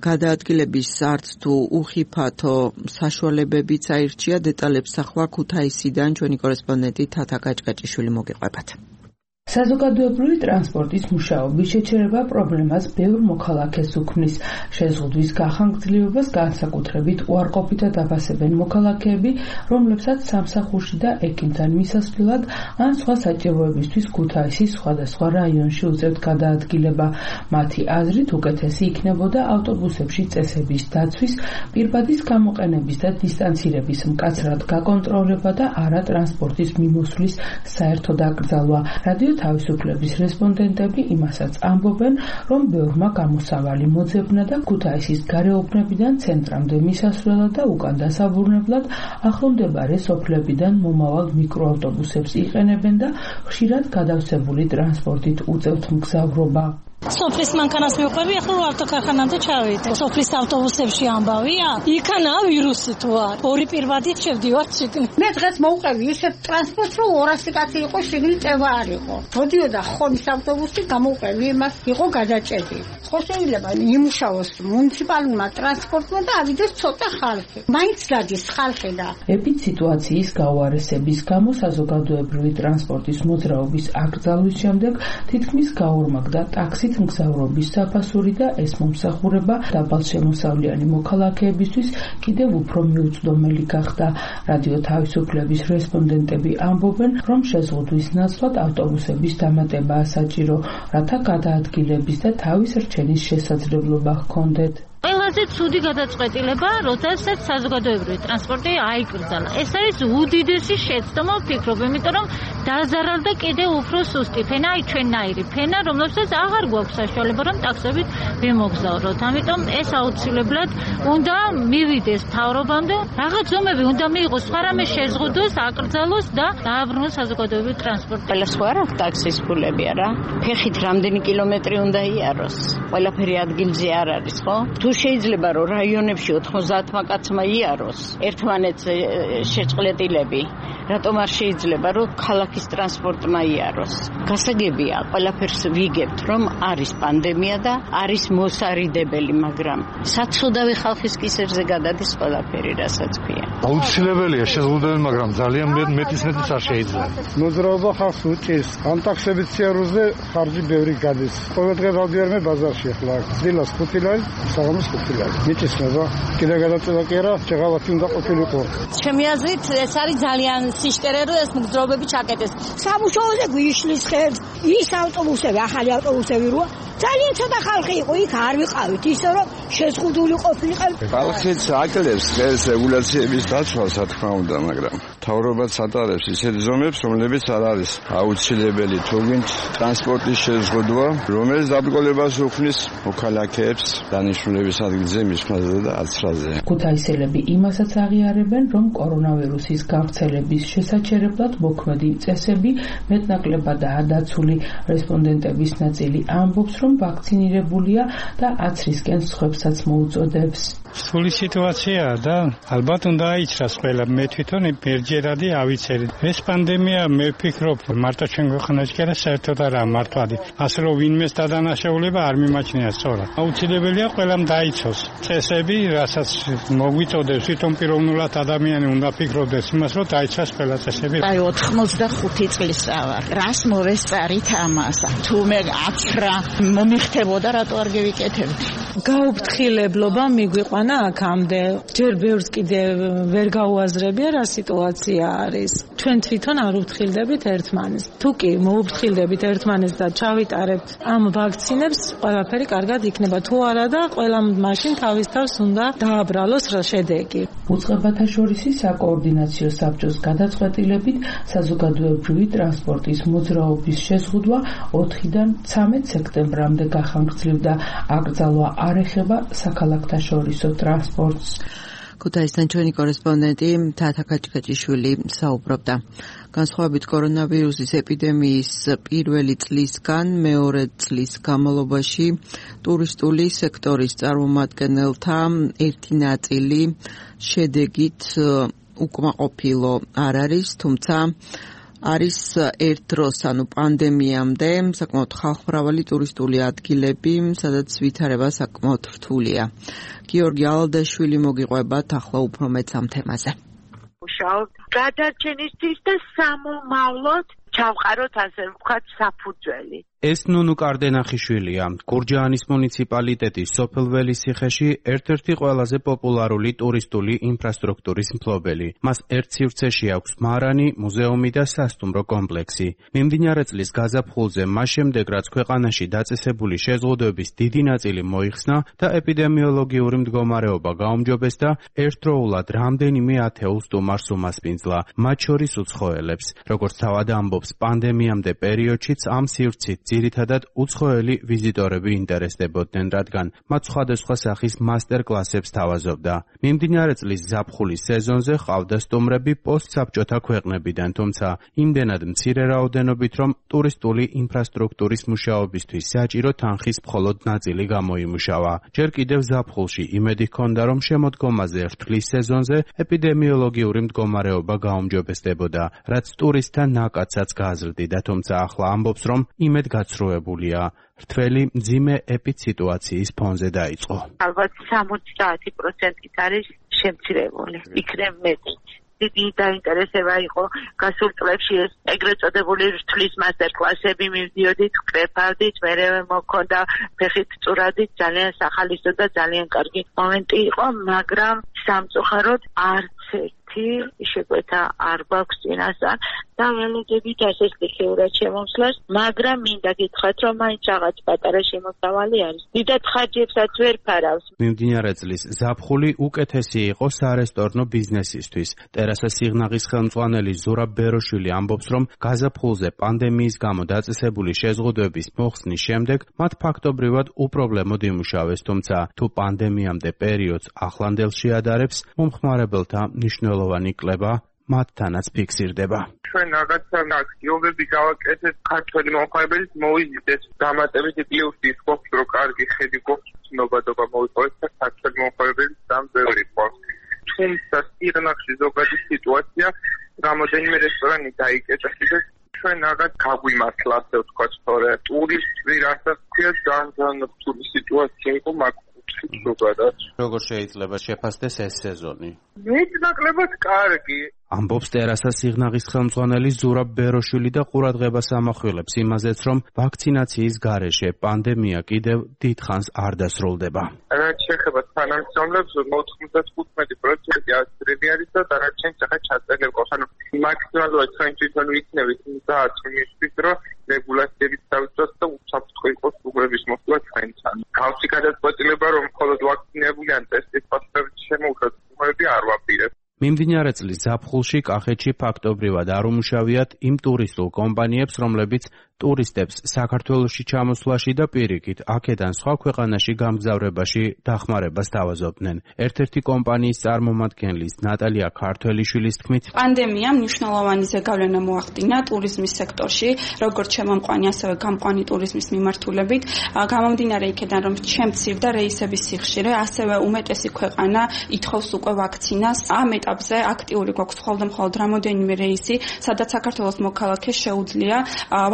გადაადგილების არც თუ უხიფათო საშუალებებიც აირჩია. დეტალებს ახლა ქუთაისიდან ჩვენი კორესპონდენტი თათა გაჭგაჭიშვილი მოგეყვებათ. საზოგადოებრივი ტრანსპორტის მუშაობის შეჩერება პრობლემას ბევრ მოქალაქეს უქმნის. შეზღუდვის გახანგრძლივებას განსაკუთრებით უარყოფითად აფასებენ მოქალაქეები, რომლებსაც სამსახურში და ექიმთან მისასვლელად ან სხვა საჭიროებისთვის ქუთაისის სხვადასხვა რაიონში უწევთ გადაადგილება. მათი აზრით უკეთესი იქნებოდა ავტობუსებში წესების დაცვის, პირბადის გამოყენების და დისტანცირების მკაცრად გაკონტროლება და არა ტრანსპორტის მიმოსვლის საერთო დაკრძალვა. რადიო თავისუფლების რესპონდენტები იმასაც ამბობენ, რომ ბევრმა გამოსავალი მოძებნა და ქუთაისის გარეუბნებიდან ცენტრამდე მისასვლელად და უკან დასაბრუნებლად ახლომდებარე სოფლებიდან მომავალ მიკროავტობუსებს იყენებენ და ხშირად გადავსებული ტრანსპორტით უწევთ მგზავრობა. სოფლის მანქანას მივყვები, ახლა ავტოქარხანამდე ჩავიდე. სოფლის ავტობუსებში ამბავია, იქანა ვირუსი თუ არ. ორი პირვადით შევდივარ შიგნით. მე დღეს მოვყვები ისეთ ტრანსპორტს, რომ 200 კაცი იყო შიგნით წევა არ იყო. მოდიოდა ხონის ავტობუსი, გამოვყვები იმას, იყო გადაჭედი. ხო შეიძლება იმუშაოს მუნიციპალურმა ტრანსპორტმა და ავიდეს ცოტა ხალხი. მაინც გადის ხალხი და ეპიდ სიტუაციის გაუარესების გამო საზოგადოებრივი ტრანსპორტის მოძრაობის აკრძალვის შემდეგ თითქმის გაორმაგდა ტაქსით მგზავრობის საფასური და ეს მომსახურება დაბალშემოსავლიანი მოქალაქეებისთვის კიდევ უფრო მიუწვდომელი გახდა. რადიო თავისუფლების რესპონდენტები ამბობენ, რომ შეზღუდვის ნაცვლად ავტობუსების დამატებაა საჭირო, რათა გადაადგილების და თავის რჩენის შესაძლებლობა ჰქონდეთ. ყველაზე ცუდი გადაწყვეტილება, როდესაც საზოგადოებრივი ტრანსპორტი აიკრძალა. ეს არის უდიდესი შეცდომა, ვფიქრობ, იმიტომ რომ დაზარალდა კიდევ უფრო სუსტი ფენა, ჩვენნაირი ფენა, რომელსაც აღარ გვაქვს საშუალება, რომ ტაქსებით ვიმოგზავროთ. ამიტომ ეს აუცილებლად უნდა მივიდეს მთავრობამდე, რაღაც ზომები უნდა მიიღოს, სხვა რამე შეზღუდოს, აკრძალოს და დააბრუნოს საზოგადოებრივი ტრანსპორტი. ყველა სხვა რა ტაქსის ფულები არა. ფეხით რამდენი კილომეტრი უნდა იაროს? ყველაფერი ადგილზე არ არის, ხო? შეიძლება რომ რაიონებში 90 კაცმა იაროს ერთმანეთს შეწყლეტილები, რატომ არ შეიძლება რომ ქალაქის ტრანსპორტმა იაროს? გასაგებია, ყველაფერს ვიგებთ, რომ არის პანდემია და არის მოსარიდებელი, მაგრამ საცოდავი ხალხის კისერზე გადადის ყველაფერი, რასაც ქვია. აუცილებელია შეზღუდვები, მაგრამ ძალიან მეტისმეტიც არ შეიძლება. მოძრაობა ხალხს უჭირს, ამ ტაქსების სიარულზე ხარჯი ბევრი გადის. ყოველდღე დავდიარმე ბაზარში ახლა. დილას 5 ლარი, საღამოს მიწისნება კიდე გადაწევა კი არა, შეღავათი უნდა ყოფილიყო. ჩემი აზრით ეს არის ძალიან სიშკერე, რომ ეს მგზავრობები ჩაკეტეს. სამუშაოზე გვიშლის ხერს ის ავტობუსები, ახალი ავტობუსები როა ძალიან ცოტა ხალხი იყო, იქ არ ვიყავით, ისე რომ შეზღუდული ყოფილიყავ. ხალხიც აკლებს ეს რეგულაციების დაცვას, რა თქმა უნდა, მაგრამ მთავრობაც ატარებს ისეთ ზომებს, რომლებიც არ არის აუცილებელი. თუ გინდ ტრანსპორტის შეზღუდვა, რომელიც დაბრკოლებას უქმნის მოქალაქეებს დანიშნულების ადგილზე, მისვლაზე და აცრაზე. ქუთაისელები იმასაც აღიარებენ, რომ კორონავირუსის გავრცელების შესაჩერებლად მოქმედი წესები მეტნაკლებადაა დაცული. რესპონდენტების ნაწილი ამბობს, რომ ვაქცინირებულია და აცრისკენ სხვებსაც მოუწოდებს. სული სიტუაციაა და ალბათ უნდა აიჩრას ყველა. მე თვითონ მერჯერადი ავიცერი. ეს პანდემია მე ვფიქრობ, მარტო ჩვენ ქვეყანაში კი არა, საერთოდ არაა მართვადი. ასე რომ ვინმეს დადანაშაულება არ მიმაჩნია სწორად. აუცილებელია ყველამ დაიცოს წესები, რასაც მოგვიწოდებს თვითონ პიროვნულად ადამიანი უნდა ფიქრობდეს იმას, რომ დაიცვას ყველა წესები. აი 85 წლის ვარ. რას მოვესწარით ამას? თუ მე აცრა მომიხდებოდა, რატო არ გევიკეთებდი? გაუფრთხილებლობა მიგვიყვანა აქამდე. ჯერ ბევრს კიდე ვერ გაუაზრებია რა სიტუაცია არის. ჩვენ თვითონ არ უფრთხილდებით ერთმანეს. თუ კი მოუფრთხილდებით ერთმანეს და ჩავიტარებთ ამ ვაქცინებს, ყველაფერი კარგად იქნება. თუ არა და ყველამ მაშინ თავის თავს უნდა დააბრალოს რა შედეგი. უწყებათა შორისი საკოორდინაციო საბჭოს გადაწყვეტილებით საზოგადოებრივი ტრანსპორტის მოძრაობის შეზღუდვა 4-დან 13 სექტემბრამდე გახანგრძლივდა. აკრძალვა არ ეხება საქალაქთაშორისო ტრანსპორტს. ქუთაისთან ჩვენი კორესპონდენტი თათა კაჭკაჭიშვილი საუბრობდა. განსხვავებით კორონავირუსის ეპიდემიის პირველი წლისგან მეორე წლის განმავლობაში ტურისტული სექტორის წარმომადგენელთა ერთი ნაწილი შედეგით უკმაყოფილო არ არის, თუმცა არის ერთ დროს, ანუ პანდემიამდე, საკმაოდ ხალხმრავალი ტურისტული ადგილები, სადაც ვითარება საკმაოდ რთულია. გიორგი ალადაშვილი მოგიყვებათ ახლა უფრო მეც ამ თემაზე. გადარჩენისთვის და სამომავლოდ ჩავყაროთ ასე ვთქვათ საფუძველი. ეს ნუნუ კარდენახიშვილია, გურჯაანის მუნიციპალიტეტის სოფელ ველისციხეში ერთ-ერთი ყველაზე პოპულარული ტურისტული ინფრასტრუქტურის მფლობელი. მას ერთ სივრცეში აქვს მარანი, მუზეუმი და სასტუმრო კომპლექსი. მიმდინარე წლის გაზაფხულზე მას შემდეგ, რაც ქვეყანაში დაწესებული შეზღუდვების დიდი ნაწილი მოიხსნა და ეპიდემიოლოგიური მდგომარეობა გაუმჯობესდა, ერთდროულად რამდენიმე ათეულ სტუმარს უმასპინძლა, მათ შორის უცხოელებს. როგორც თავად ამბობს, პანდემიამდე პერიოდშიც ამ სივრცით ძირითადად უცხოელი ვიზიტორები ინტერესდებოდნენ, რადგან მათ სხვადასხვა სახის მასტერ-კლასებს თავაზობდა. მიმდინარე წლის ზაფხულის სეზონზე ჰყავდა სტუმრები პოსტსაბჭოთა ქვეყნებიდან, თუმცა იმდენად მცირე რაოდენობით, რომ ტურისტული ინფრასტრუქტურის მუშაობისთვის საჭირო თანხის მხოლოდ ნაწილი გამოიმუშავა. ჯერ კიდევ ზაფხულში იმედი ჰქონდა, რომ შემოდგომაზე რთლის სეზონზე ეპიდემიოლოგიური მდგომარეობა გაუმჯობესდებოდა, რაც ტურისტთა ნაკადსაც გააზრდიდა, თუმცა ახლა ამბობს, რომ იმედ გაცრუებულია. რთველი მძიმე ეპიდსიტუაციის ფონზე დაიწყო. ალბათ 70% არის შემცირებული. იქნებ მეტი. დიდი დაინტერესება იყო გასულ წლებში ეს ეგრეთ წოდებული რთლის მასტერ-კლასები მივდიოდით, ვკრეფავდით, მერე მოქონდა ფეხით წურადით, ძალიან სახალისო და ძალიან კარგი მომენტი იყო, მაგრამ სამწუხაროდ არც ერთი შეკვეთა არ გვაქვს წინასწარ და ველოდებით ასე სტიქიურად შემოსვლას, მაგრამ მინდა გითხრათ, რომ მაინც რაღაც პატარა შემოსავალი არის. დიდად ხარჯებსაც ვერ ფარავს. მიმდინარე წლის ზაფხული უკეთესი იყო სარესტორნო ბიზნესისთვის. ტერასა სიღნაღის ხელმძღვანელი ზურაბ ბეროშვილი ამბობს, რომ გაზაფხულზე პანდემიის გამო დაწესებული შეზღუდვების მოხსნის შემდეგ მათ ფაქტობრივად უპრობლემოდ იმუშავეს, თუმცა თუ პანდემიამდე პერიოდს ახლანდელში ადარებს, მომხმარებელთა მნიშვნელოვანი კლება მათთანაც ფიქსირდება. ჩვენ რაღაცა აქტიობები გავაკეთეთ ქართველი მომხმარებელს მოვიზიდეთ დამატებითი პლუსი ის გვაქვს, რომ კარგი ხედი გვაქვს, ცნობადობა მოვიპოვეთ და ქართველი მომხმარებელს ძალიან ბევრი გვაქვს. თუმცა სიღნაღში ზოგადი სიტუაცია რამოდენიმე რესტორანი დაიკეტა და ჩვენ რაღაც გაგვიმართლა, ასე ვთქვათ, თორე ტურისტი რასაც ქვია ძალიან რთული სიტუაცია იყო მაგ ზოგადად. როგორ შეიძლება შეფასდეს ეს სეზონი? მეტნაკლებად კარგი. ამბობს ტერასა სიღნაღის ხელმძღვანელი ზურაბ ბეროშვილი და ყურადღებას ამახვილებს იმაზეც, რომ ვაქცინაციის გარეშე პანდემია კიდევ დიდხანს არ დასრულდება. რაც შეეხება თანამშრომლებს, 95% ასტრები არის და დანარჩენს ახლა ჩაწერილ ყავს. ანუ მაქსიმალურად ჩვენ თვითონ ვიქნებით იმისთვის, რომ რეგულაციების დავიცვათ და უსაფრთხო იყოს უგრების მოსვლა ჩვენთან. გავსი გადაწყვეტილება, რომ მხოლოდ ვაქცინირებული ან ტესტის პასუხებით შემოუშვათ სტუმრები არ ვაპირებ. მიმდინარე წლის ზაფხულში კახეთში ფაქტობრივად არ უმუშავიათ იმ ტურისტულ კომპანიებს, რომლებიც ტურისტებს საქართველოში ჩამოსვლაში და პირიქით აქედან სხვა ქვეყანაში გამგზავრებაში დახმარებას თავაზობდნენ. ერთ-ერთი კომპანიის წარმომადგენლის ნატალია ქართველიშვილის თქმით, პანდემიამ მნიშვნელოვანი ზეგავლენა მოახდინა ტურიზმის სექტორში, როგორც შემომყვანი, ასევე გამყვანი ტურიზმის მიმართულებით. გამომდინარე იქედან, რომ შემცირდა რეისების სიხშირე, ასევე უმეტესი ქვეყანა ითხოვს უკვე ვაქცინას. ამ ეტაპზე აქტიური გვაქვს მხოლოდ რამოდენიმე რეისი, სადაც საქართველოს მოქალაქეს შეუძლია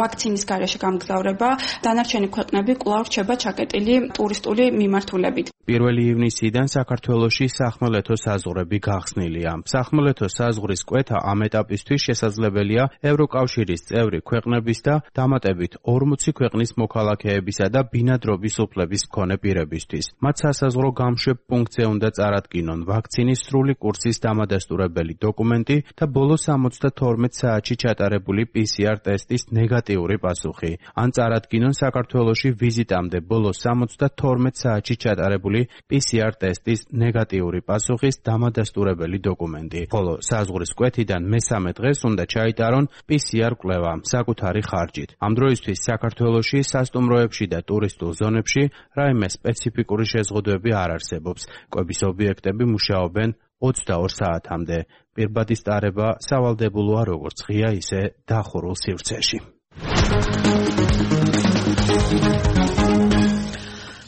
ვაქცინის გარეშე გამგზავრება, დანარჩენი ქვეყნები კვლავ რჩება ჩაკეტილი ტურისტული მიმართულებით. 1 ივნისიდან საქართველოში სახმელეთო საზღვრები გახსნილია. სახმელეთო საზღვრის კვეთა ამ ეტაპისთვის შესაძლებელია ევროკავშირის წევრი ქვეყნების და დამატებით 40 ქვეყნის მოქალაქეებისა და ბინადრობის უფლების მქონე პირებისთვის. მათ სასაზღვრო გამშვებ პუნქტზე უნდა წარადგინონ ვაქცინის სრული კურსის დამადასტურებელი დოკუმენტი და ბოლო 72 საათში ჩატარებული PCR ტესტის ნეგატიური პასუხი. ან წარადგინონ საქართველოში ვიზიტამდე ბოლო 72 საათში ჩატარებული PCR ტესტის ნეგატიური პასუხის დამადასტურებელი დოკუმენტი. ხოლო საზღვრის კვეთიდან მესამე დღეს უნდა ჩაიტარონ PCR კვლევა საკუთარი ხარჯით. ამ დროისთვის საქართველოში სასტუმროებში და ტურისტულ ზონებში რაიმე სპეციფიკური შეზღუდვები არ არსებობს. კვების ობიექტები მუშაობენ 22 საათამდე. პირბადის ტარება სავალდებულოა როგორც ღია, ისე დახურულ სივრცეში.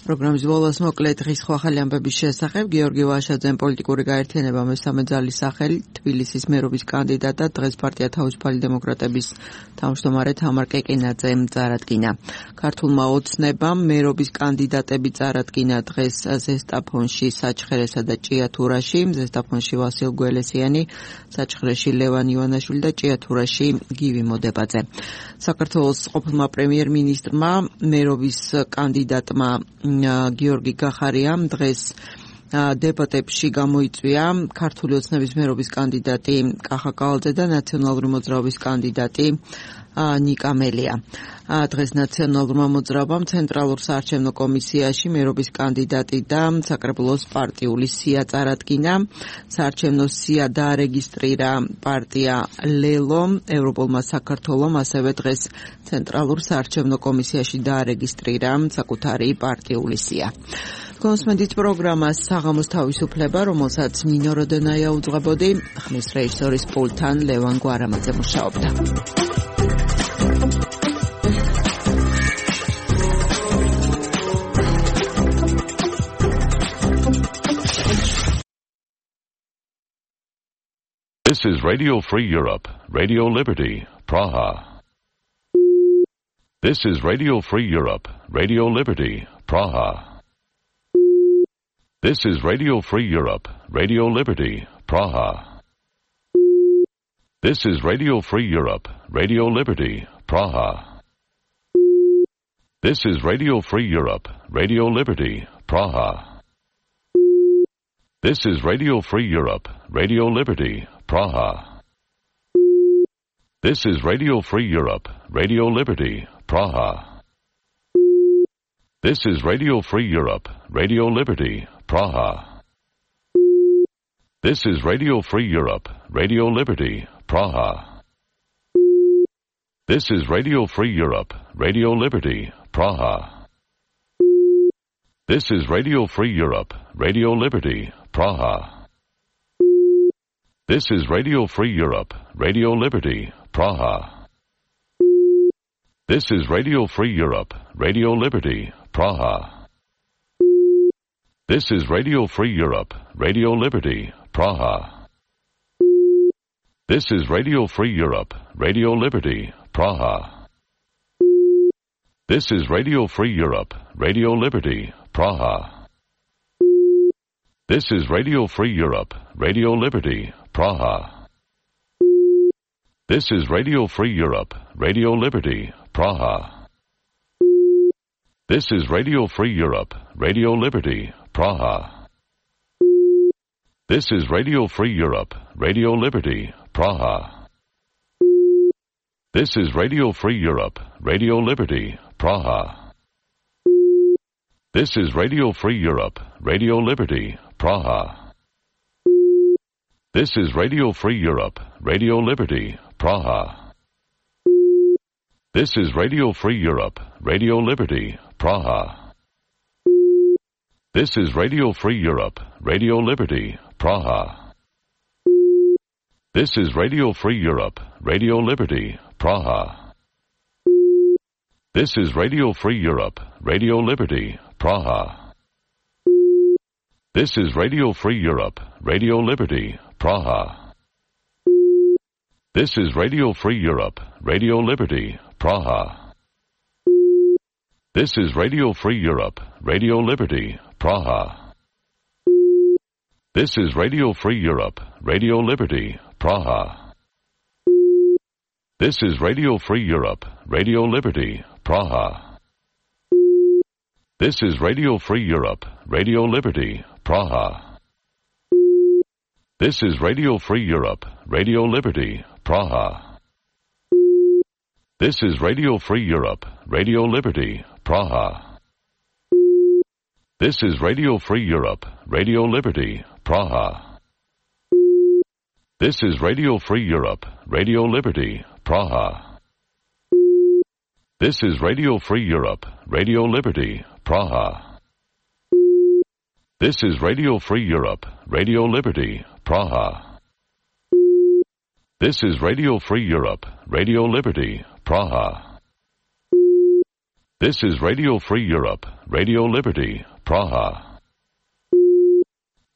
პროგრამის ბოლოს მოკლედ დღის ახალი ამბების შესახებ გიორგი ვაშაძემ პოლიტიკური გაერთიანება მესამე ძალის სახელით თბილისის მერობის კანდიდატად დღეს პარტია თავისუფალი დემოკრატების თავმჯდომარე თამარ კეკინაძემ წარადგინა. ქართულმა ოცნებამ მერობის კანდიდატები წარადგინა დღეს ზესტაფონში, საჩხერესა და ჭიათურაში, ზესტაფონში ვასილ გველესიანი, საჩხერეში ლევან ივანაშვილი და ჭიათურაში გივი მოდებაძე. საქართველოს ყოფილმა პრემიერ-მინისტრმა მერობის კანდიდატმა გიორგი გახარიამ დღეს დებატებში გამოიწვია ქართული ოცნების მერობის კანდიდატი კახა კავალძე და ნაციონალური მოძრაობის კანდიდატი ნიკა მელია. დღეს ნაციონალურმა მოძრაობამ ცენტრალურ საარჩევნო კომისიაში მერობის კანდიდატი და საკრებულოს პარტიული სია წარადგინა. საარჩევნო სია დაარეგისტრირა პარტია ლელო, ევროპულმა საქართველომ ასევე დღეს ცენტრალურ საარჩევნო კომისიაში დაარეგისტრირა საკუთარი პარტიული სია. კონსმენდით პროგრამას საღამოს თავისუფლება, რომელსაც ნინო როდენაია უძღვებოდი, ხმის რეჟისორის პულტთან ლევან გვარამაძე მუშაობდა. This is Radio Free Europe, Radio Liberty, Praha. This is Radio Free Europe, Radio Liberty, Praha. This is Radio Free Europe, Radio Liberty, Praha. This is Radio Free Europe, Radio Liberty, Praha. This is Radio Free Europe, Radio Liberty, Praha. This is Radio Free Europe, Radio Liberty, Praha. This is Radio Free Europe, Radio Liberty, Praha. This is Radio Free Europe, Radio Liberty, Praha. This is Radio Free Europe, Radio Liberty, Praha. This is Radio Free Europe, Radio Liberty, Praha. This is Radio Free Europe, Radio Liberty, Praha. This is Radio Free Europe, Radio Liberty, Praha. This is Radio Free Europe, Radio Liberty, Praha. This is Radio Free Europe, Radio Liberty, Praha. This is Radio Free Europe, Radio Liberty, Praha. This is Radio Free Europe, Radio Liberty, Praha. This is Radio Free Europe, Radio Liberty, Praha. This is Radio Free Europe, Radio Liberty, Praha. This is Radio Free Europe, Radio Liberty, Praha. This is Radio Free Europe, Radio Liberty, Praha. This is Radio Free Europe, Radio Liberty, Praha. This is Radio Free Europe, Radio Liberty, Praha. This is Radio Free Europe, Radio Liberty, Praha. This is Radio Free Europe, Radio Liberty, Praha. This is Radio Free Europe, Radio Liberty, Praha. This is Radio Free Europe, Radio Liberty, Praha. This is Radio Free Europe, Radio Liberty, Praha. This is Radio Free Europe, Radio Liberty, Praha. This is Radio Free Europe, Radio Liberty, Praha. This is Radio Free Europe, Radio Liberty, Praha. This is Radio Free Europe, Radio Liberty, Praha. This is Radio Free Europe, Radio Liberty, Praha. This is Radio Free Europe, Radio Liberty, Praha. This is Radio Free Europe, Radio Liberty, Praha. This is Radio Free Europe, Radio Liberty, Praha. This is Radio Free Europe, Radio Liberty, Praha. This is Radio Free Europe, Radio Liberty, Praha. This is Radio Free Europe, Radio Liberty, Praha. This is Radio Free Europe, Radio Liberty, Praha. This is Radio Free Europe, Radio Liberty, Praha. This is Radio Free Europe, Radio Liberty, Praha.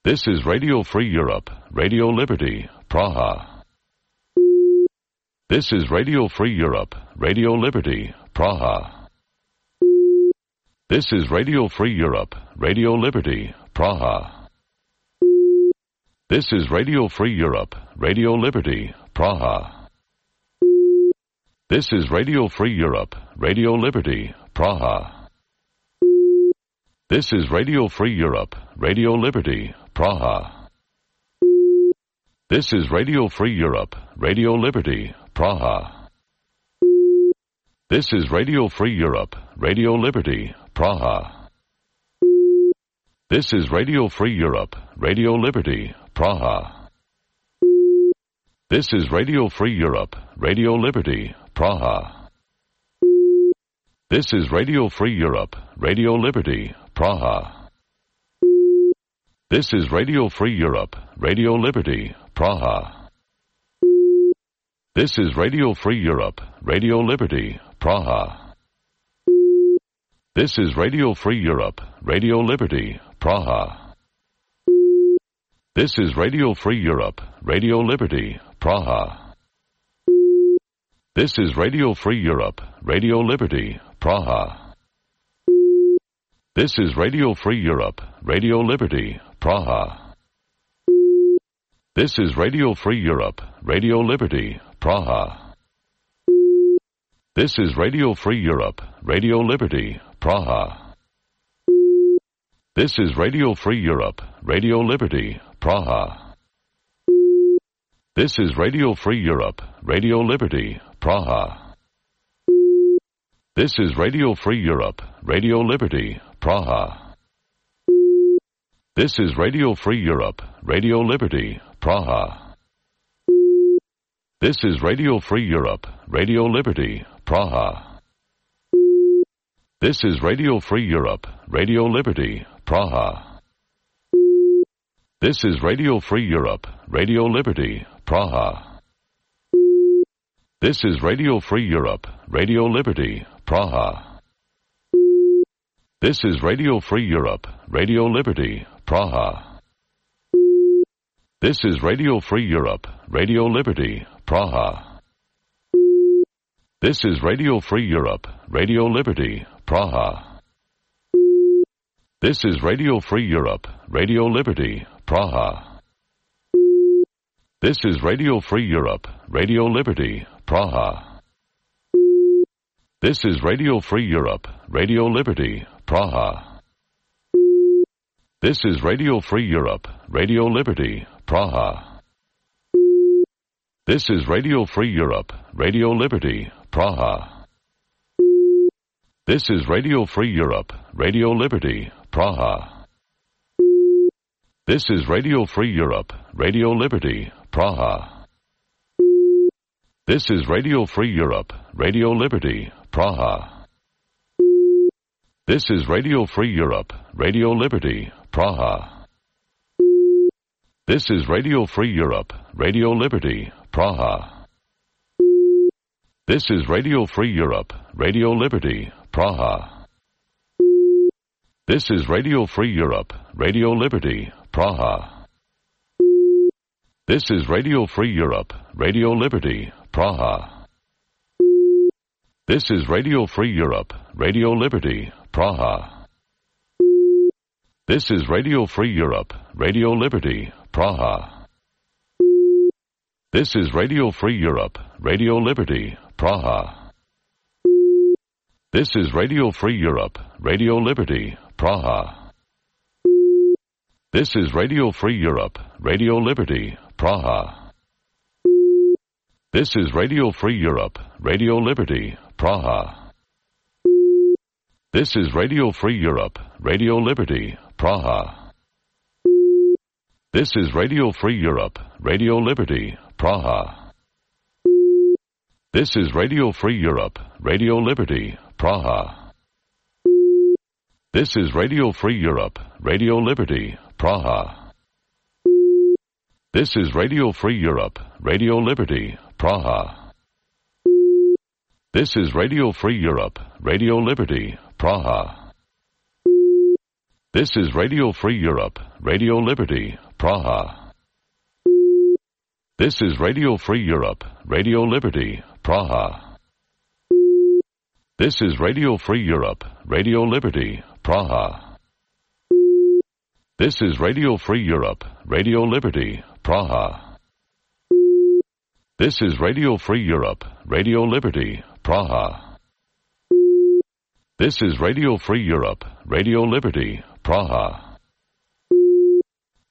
This is Radio Free Europe, Radio Liberty, Praha. This is Radio Free Europe, Radio Liberty, Praha. This is Radio Free Europe, Radio Liberty, Praha. This is Radio Free Europe, Radio Liberty, Praha. This is Radio Free Europe, Radio Liberty, Praha. This is Radio Free Europe, Radio Liberty, Praha. This is Radio Free Europe, Radio Liberty, Praha. This is Radio Free Europe, Radio Liberty, Praha. This is Radio Free Europe, Radio Liberty, Praha. This is Radio Free Europe, Radio Liberty, Praha. This is Radio Free Europe, Radio Liberty, Praha. This is Radio Free Europe, Radio Liberty, Praha. This is Radio Free Europe, Radio Liberty, Praha. This is Radio Free Europe, Radio Liberty, Praha. This is Radio Free Europe, Radio Liberty, Praha. This is Radio Free Europe, Radio Liberty, Praha. This is Radio Free Europe, Radio Liberty, Praha. This is Radio Free Europe, Radio Liberty, Praha. This is Radio Free Europe, Radio Liberty, Praha. This is Radio Free Europe, Radio Liberty, Praha. This is Radio Free Europe, Radio Liberty, Praha. This is Radio Free Europe, Radio Liberty, Praha. This is Radio Free Europe, Radio Liberty, Praha. This is Radio Free Europe, Radio Liberty, Praha. This is Radio Free Europe, Radio Liberty, Praha. This is Radio Free Europe, Radio Liberty, Praha. This is Radio Free Europe, Radio Liberty, Praha. This is Radio Free Europe, Radio Liberty, Praha. This is Radio Free Europe, Radio Liberty, Praha. This is Radio Free Europe, Radio Liberty, Praha. This is Radio Free Europe, Radio Liberty, Praha. This is Radio Free Europe, Radio Liberty, Praha. This is Radio Free Europe, Radio Liberty, Praha. This is Radio Free Europe, Radio Liberty, Praha. This is Radio Free Europe, Radio Liberty, Praha. This is Radio Free Europe, Radio Liberty, Praha. This is Radio Free Europe, Radio Liberty, Praha. This is Radio Free Europe, Radio Liberty, Praha. This is Radio Free Europe, Radio Liberty, Praha. This is Radio Free Europe, Radio Liberty, Praha. This is Radio Free Europe, Radio Liberty, Praha. This is Radio Free Europe, Radio Liberty, Praha. This is Radio Free Europe, Radio Liberty, Praha. This is Radio Free Europe, Radio Liberty, Praha. This is Radio Free Europe, Radio Liberty, Praha. This is Radio Free Europe, Radio Liberty, Praha. This is Radio Free Europe, Radio Liberty, Praha. This is Radio Free Europe, Radio Liberty, Praha. This is Radio Free Europe, Radio Liberty, Praha. This is Radio Free Europe, Radio Liberty, Praha. This is Radio Free Europe, Radio Liberty, Praha. This is Radio Free Europe, Radio Liberty, Praha. This is Radio Free Europe, Radio Liberty, Praha. This is Radio Free Europe, Radio Liberty, Praha. This is Radio Free Europe, Radio Liberty, Praha. This is Radio Free Europe, Radio Liberty, Praha. This is Radio Free Europe, Radio Liberty, Praha. This is Radio Free Europe, Radio Liberty, Praha. This is Radio Free Europe, Radio Liberty, Praha. This is Radio Free Europe, Radio Liberty, Praha. This is Radio Free Europe, Radio Liberty, Praha.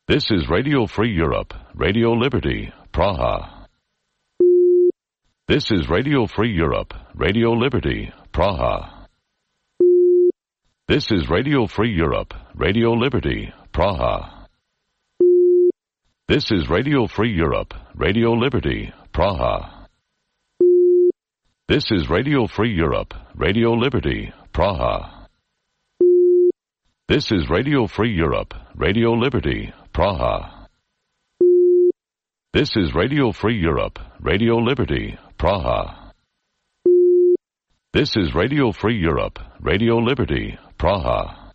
This is Radio Free Europe, Radio Liberty, Praha. This is Radio Free Europe, Radio Liberty, Praha. This is Radio Free Europe, Radio Liberty, Praha. This is Radio Free Europe, Radio Liberty, Praha. This is Radio Free Europe, Radio Liberty, Praha. This is Radio Free Europe, Radio Liberty, Praha. This is Radio Free Europe, Radio Liberty, Praha. This is Radio Free Europe, Radio Liberty, Praha.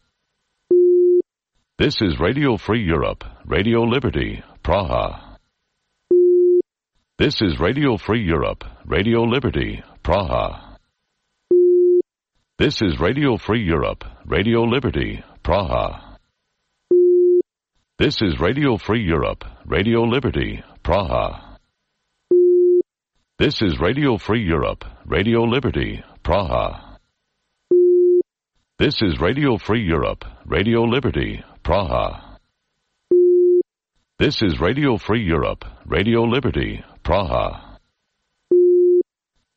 This is Radio Free Europe, Radio Liberty, Praha. This is Radio Free Europe, Radio Liberty, Praha. This is Radio Free Europe, Radio Liberty, Praha. This is Radio Free Europe, Radio Liberty, Praha. This is Radio Free Europe, Radio Liberty, Praha. This is Radio Free Europe, Radio Liberty, Praha. This is Radio Free Europe, Radio Liberty, Praha.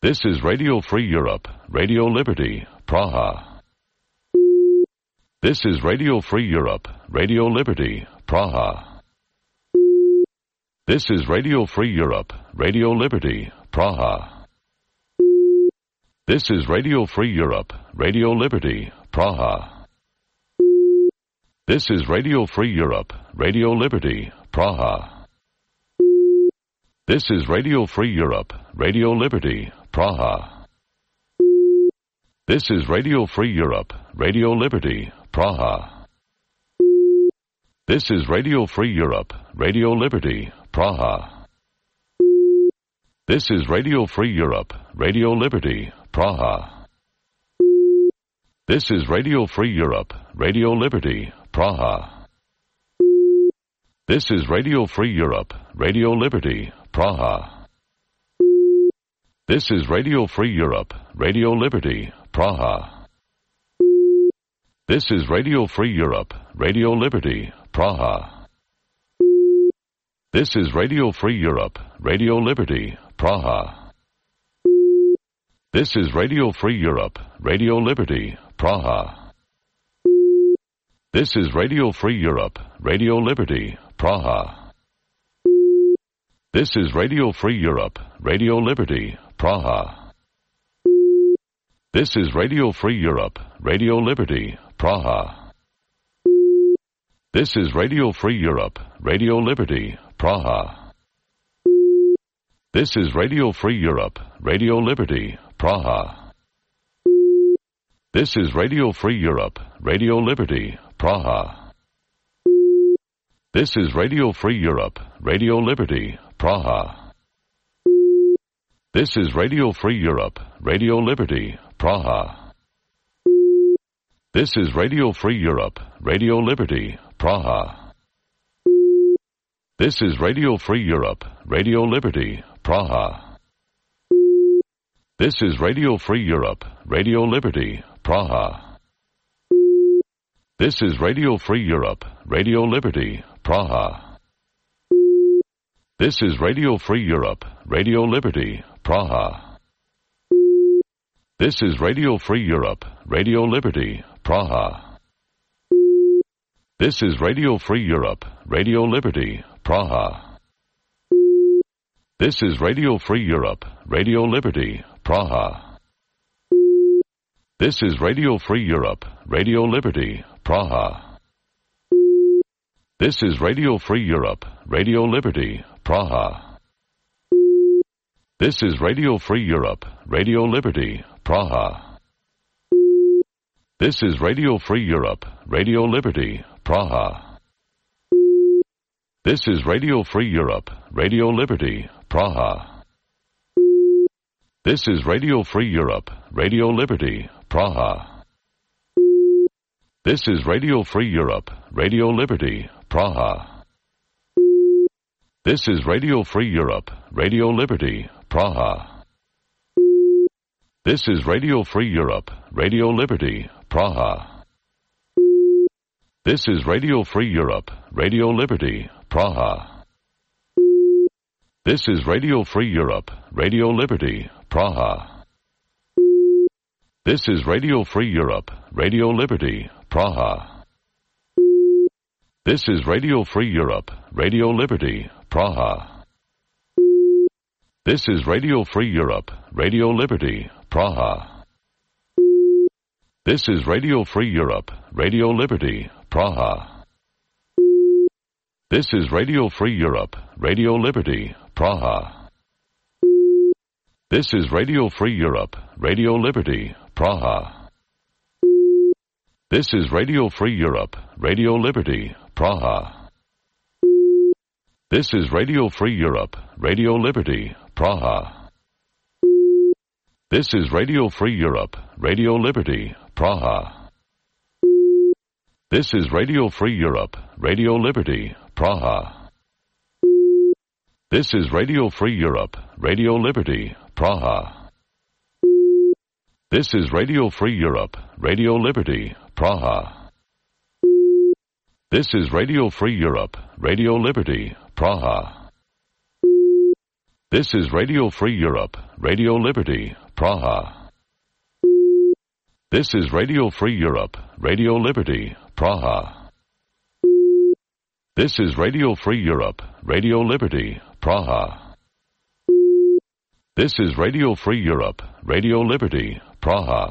This is Radio Free Europe, Radio Liberty, Praha. This is Radio Free Europe, Radio Liberty, Praha. This is Radio Free Europe, Radio Liberty, Praha. This is Radio Free Europe, Radio Liberty, Praha. This is Radio Free Europe, Radio Liberty, Praha. This is Radio Free Europe, Radio Liberty, Praha. This is Radio Free Europe, Radio Liberty, Praha. This is Radio Free Europe, Radio Liberty, Praha. This is Radio Free Europe, Radio Liberty, Praha. This is Radio Free Europe, Radio Liberty, Praha. This is Radio Free Europe, Radio Liberty, Praha. This is Radio Free Europe, Radio Liberty, Praha. This is Radio Free Europe, Radio Liberty, Praha. This is Radio Free Europe, Radio Liberty, Praha. This is Radio Free Europe, Radio Liberty, Praha. This is Radio Free Europe, Radio Liberty, Praha. This is Radio Free Europe, Radio Liberty, Praha. This is Radio Free Europe, Radio Liberty, Praha. This is Radio Free Europe, Radio Liberty, Praha. This is Radio Free Europe, Radio Liberty, Praha. This is Radio Free Europe, Radio Liberty, Praha. This is Radio Free Europe, Radio Liberty, Praha. This is Radio Free Europe, Radio Liberty, Praha. This is Radio Free Europe, Radio Liberty, Praha. This is Radio Free Europe, Radio Liberty, Praha. This is Radio Free Europe, Radio Liberty, Praha. This is Radio Free Europe, Radio Liberty, Praha. This is Radio Free Europe, Radio Liberty, Praha. This is Radio Free Europe, Radio Liberty, Praha. This is Radio Free Europe, Radio Liberty, Praha. This is Radio Free Europe, Radio Liberty, Praha. This is Radio Free Europe, Radio Liberty, Praha. This is Radio Free Europe, Radio Liberty, Praha. This is Radio Free Europe, Radio Liberty, Praha. This is Radio Free Europe, Radio Liberty, Praha. This is Radio Free Europe, Radio Liberty, Praha. This is Radio Free Europe, Radio Liberty, Praha. This is Radio Free Europe, Radio Liberty, Praha. This is Radio Free Europe, Radio Liberty, Praha. This is Radio Free Europe, Radio Liberty, Praha. This is Radio Free Europe, Radio Liberty, Praha. This is Radio Free Europe, Radio Liberty, Praha. This is Radio Free Europe, Radio Liberty, Praha. This is Radio Free Europe, Radio Liberty, Praha. This is Radio Free Europe, Radio Liberty, Praha. This is Radio Free Europe, Radio Liberty, Praha. This is Radio Free Europe, Radio Liberty, Praha. This is Radio Free Europe, Radio Liberty, Praha. This is Radio Free Europe, Radio Liberty, Praha. This is Radio Free Europe, Radio Liberty, Praha. This is Radio Free Europe, Radio Liberty, Praha. This is Radio Free Europe, Radio Liberty, Praha. This is Radio Free Europe, Radio Liberty, Praha. This is Radio Free Europe, Radio Liberty, Praha. This is Radio Free Europe, Radio Liberty, Praha. This is Radio Free Europe, Radio Liberty, Praha. This is Radio Free Europe, Radio Liberty, Praha. This is Radio Free Europe, Radio Liberty, Praha. This is Radio Free Europe, Radio Liberty, Praha.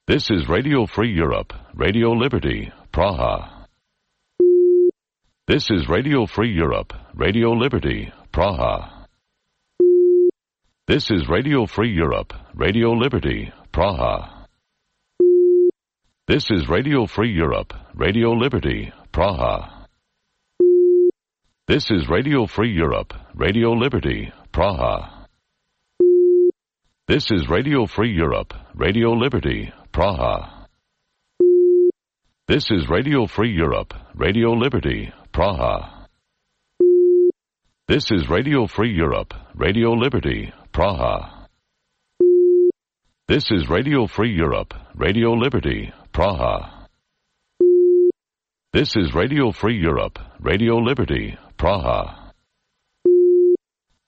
This is Radio Free Europe, Radio Liberty, Praha. This is Radio Free Europe, Radio Liberty, Praha. This is Radio Free Europe, Radio Liberty, Praha. This is Radio Free Europe, Radio Liberty, Praha. This is Radio Free Europe, Radio Liberty, Praha. This is Radio Free Europe, Radio Liberty, Praha. This is Radio Free Europe, Radio Liberty, Praha. This is Radio Free Europe, Radio Liberty, Praha. This is Radio Free Europe, Radio Liberty, Praha. This is Radio Free Europe, Radio Liberty, Praha.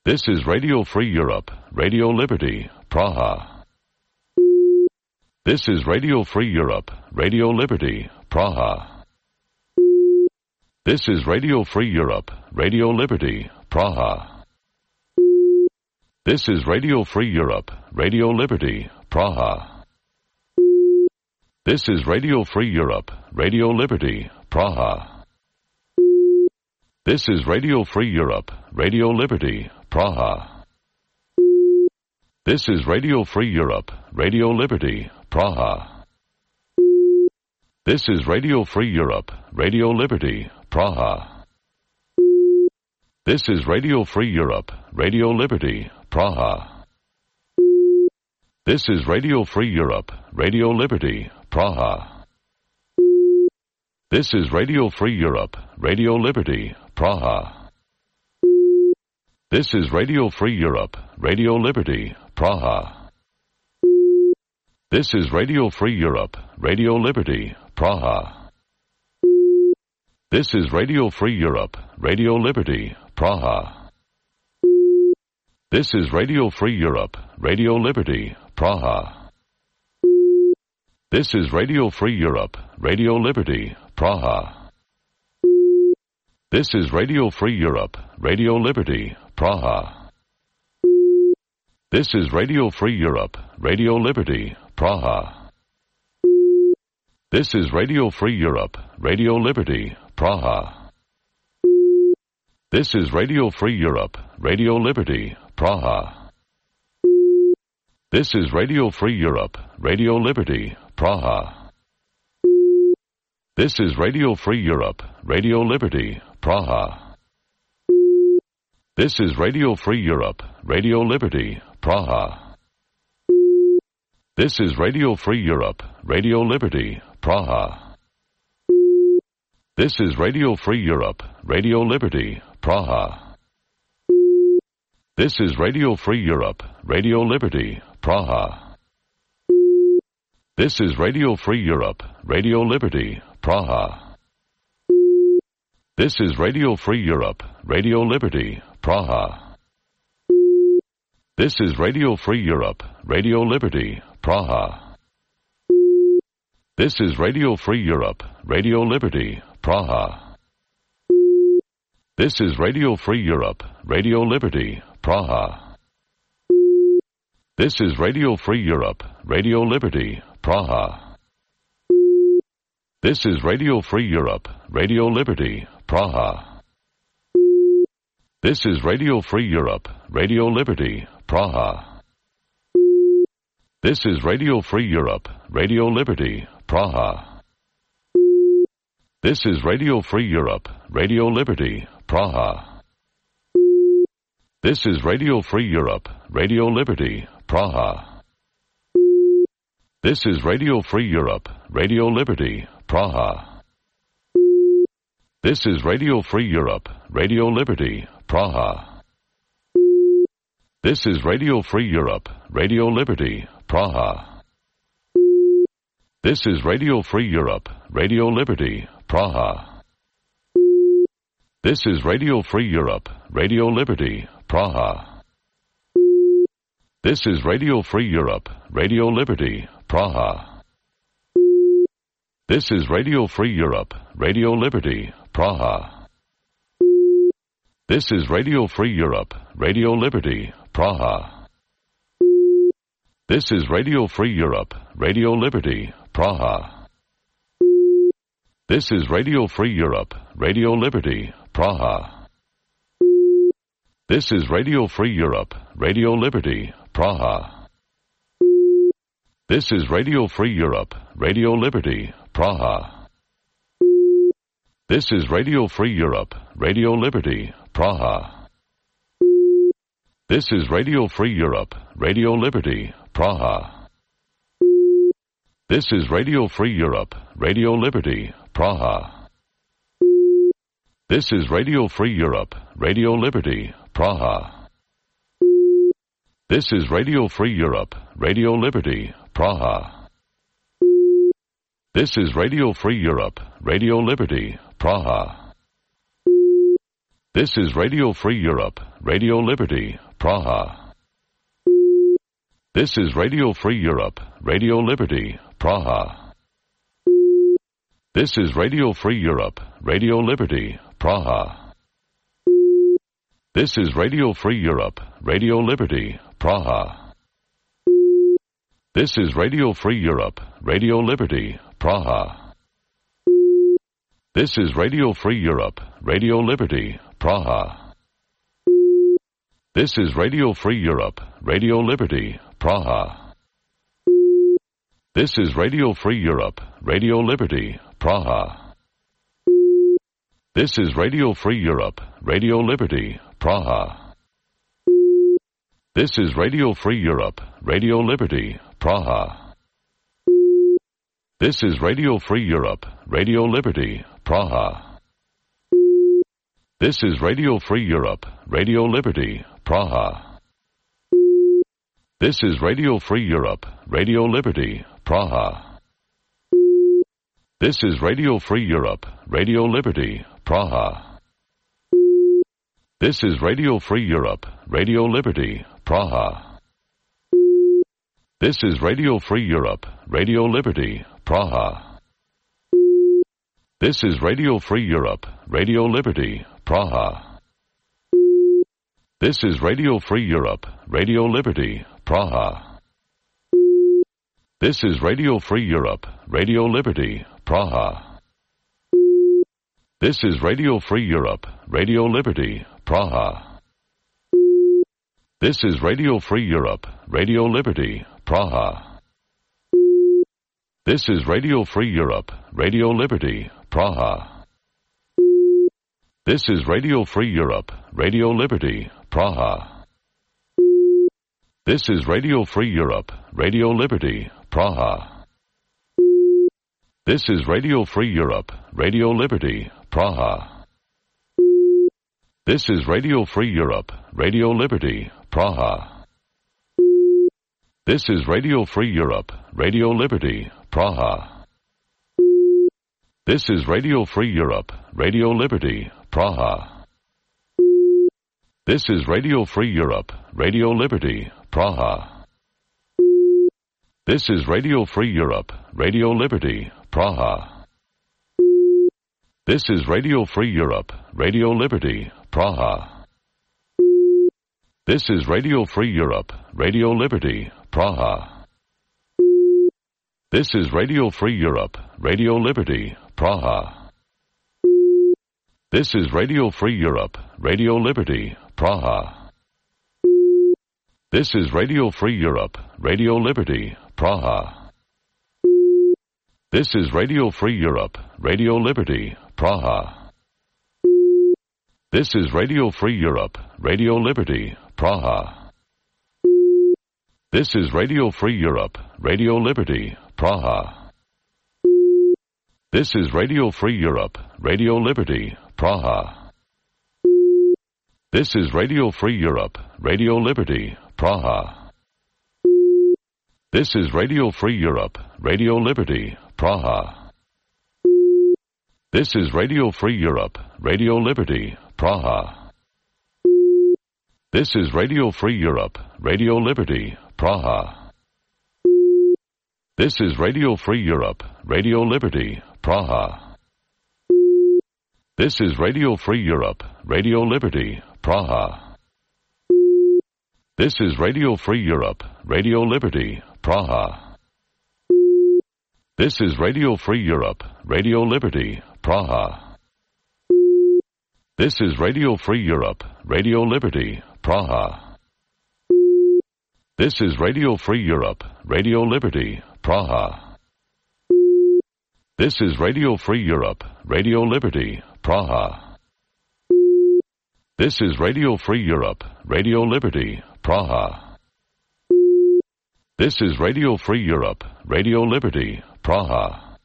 This is Radio Free Europe, Radio Liberty, Praha. This is Radio Free Europe, Radio Liberty, Praha. This is Radio Free Europe, Radio Liberty, Praha. This is Radio Free Europe, Radio Liberty, Praha. This is Radio Free Europe, Radio Liberty, Praha. This is Radio Free Europe, Radio Liberty, Praha. This is Radio Free Europe, Radio Liberty, Praha. This is Radio Free Europe, Radio Liberty, Praha. This is Radio Free Europe, Radio Liberty, Praha. This is Radio Free Europe, Radio Liberty, Praha. This is Radio Free Europe, Radio Liberty, Praha. This is Radio Free Europe, Radio Liberty, Praha. This is Radio Free Europe, Radio Liberty, Praha. This is Radio Free Europe, Radio Liberty, Praha. This is Radio Free Europe, Radio Liberty, Praha. This is Radio Free Europe, Radio Liberty, Praha. This is Radio Free Europe, Radio Liberty, Praha. This is Radio Free Europe, Radio Liberty, Praha. This is Radio Free Europe, Radio Liberty, Praha. This is Radio Free Europe, Radio Liberty, Praha. This is Radio Free Europe, Radio Liberty, Praha. This is Radio Free Europe, Radio Liberty, Praha. This is Radio Free Europe, Radio Liberty, Praha. This is Radio Free Europe, Radio Liberty, Praha. This is Radio Free Europe, Radio Liberty, Praha. This is Radio Free Europe, Radio Liberty, Praha. This is Radio Free Europe, Radio Liberty, Praha. This is Radio Free Europe, Radio Liberty, Praha. This is Radio Free Europe, Radio Liberty, Praha. This is Radio Free Europe, Radio Liberty, Praha. This is Radio Free Europe, Radio Liberty, Praha. This is Radio Free Europe, Radio Liberty, Praha. This is Radio Free Europe, Radio Liberty, Praha. This is Radio Free Europe, Radio Liberty, Praha. This is Radio Free Europe, Radio Liberty, Praha. This is Radio Free Europe, Radio Liberty, Praha. This is Radio Free Europe, Radio Liberty, Praha. This is Radio Free Europe, Radio Liberty, Praha. This is Radio Free Europe, Radio Liberty, Praha. This is Radio Free Europe, Radio Liberty, Praha. This is Radio Free Europe, Radio Liberty, Praha. This is Radio Free Europe, Radio Liberty, Praha. This is Radio Free Europe, Radio Liberty, Praha. This is Radio Free Europe, Radio Liberty, Praha. This is Radio Free Europe, Radio Liberty, Praha. This is Radio Free Europe, Radio Liberty, Praha. This is Radio Free Europe, Radio Liberty, Praha. This is Radio Free Europe, Radio Liberty, Praha. This is Radio Free Europe, Radio Liberty, Praha. This is Radio Free Europe, Radio Liberty, Praha. This is Radio Free Europe, Radio Liberty, Praha. This is Radio Free Europe, Radio Liberty, Praha. This is Radio Free Europe, Radio Liberty, Praha. This is Radio Free Europe, Radio Liberty, Praha. This is Radio Free Europe, Radio Liberty, Praha. This is Radio Free Europe, Radio Liberty, Praha. This is Radio Free Europe, Radio Liberty, Praha. This is Radio Free Europe, Radio Liberty, Praha. This is Radio Free Europe, Radio Liberty, Praha. This is Radio Free Europe, Radio Liberty, Praha. This is Radio Free Europe, Radio Liberty, Praha. This is Radio Free Europe, Radio Liberty, Praha. This is Radio Free Europe, Radio Liberty, Praha. This is Radio Free Europe, Radio Liberty, Praha. This is Radio Free Europe, Radio Liberty, Praha. This is Radio Free Europe, Radio Liberty, Praha. This is Radio Free Europe, Radio Liberty, Praha. This is Radio Free Europe, Radio Liberty, Praha. This is Radio Free Europe, Radio Liberty, Praha. This is Radio Free Europe, Radio Liberty, Praha. This is Radio Free Europe, Radio Liberty, Praha. This is Radio Free Europe, Radio Liberty, Praha. This is Radio Free Europe, Radio Liberty, Praha. This is Radio Free Europe, Radio Liberty, Praha. This is Radio Free Europe, Radio Liberty, Praha. This is Radio Free Europe, Radio Liberty, Praha. This is Radio Free Europe, Radio Liberty, Praha. This is Radio Free Europe, Radio Liberty, Praha. This is Radio Free Europe, Radio Liberty, Praha. This is Radio Free Europe, Radio Liberty, Praha. This is Radio Free Europe, Radio Liberty, Praha. This is Radio Free Europe, Radio Liberty, Praha. This is Radio Free Europe, Radio Liberty, Praha. This is Radio Free Europe, Radio Liberty, Praha. This is Radio Free Europe, Radio Liberty, Praha. This is Radio Free Europe, Radio Liberty, Praha. This is Radio Free Europe, Radio Liberty, Praha. This is Radio Free Europe, Radio Liberty, Praha. This is Radio Free Europe, Radio Liberty, Praha. This is Radio Free Europe, Radio Liberty, Praha. This is Radio Free Europe, Radio Liberty, Praha. This is Radio Free Europe, Radio Liberty, Praha. This is Radio Free Europe, Radio Liberty, Praha. This is Radio Free Europe, Radio Liberty, Praha. This is Radio Free Europe, Radio Liberty, Praha. This is Radio Free Europe, Radio Liberty, Praha. This is Radio Free Europe, Radio Liberty, Praha. This is Radio Free Europe, Radio Liberty, Praha. This is Radio Free Europe, Radio Liberty, Praha. This is Radio Free Europe, Radio Liberty, Praha. This is Radio Free Europe, Radio Liberty, Praha. This is Radio Free Europe, Radio Liberty, Praha. This is Radio Free Europe, Radio Liberty, Praha. This is Radio Free Europe, Radio Liberty, Praha. This is Radio Free Europe, Radio Liberty, Praha. This is Radio Free Europe, Radio Liberty, Praha. This is Radio Free Europe, Radio Liberty, Praha.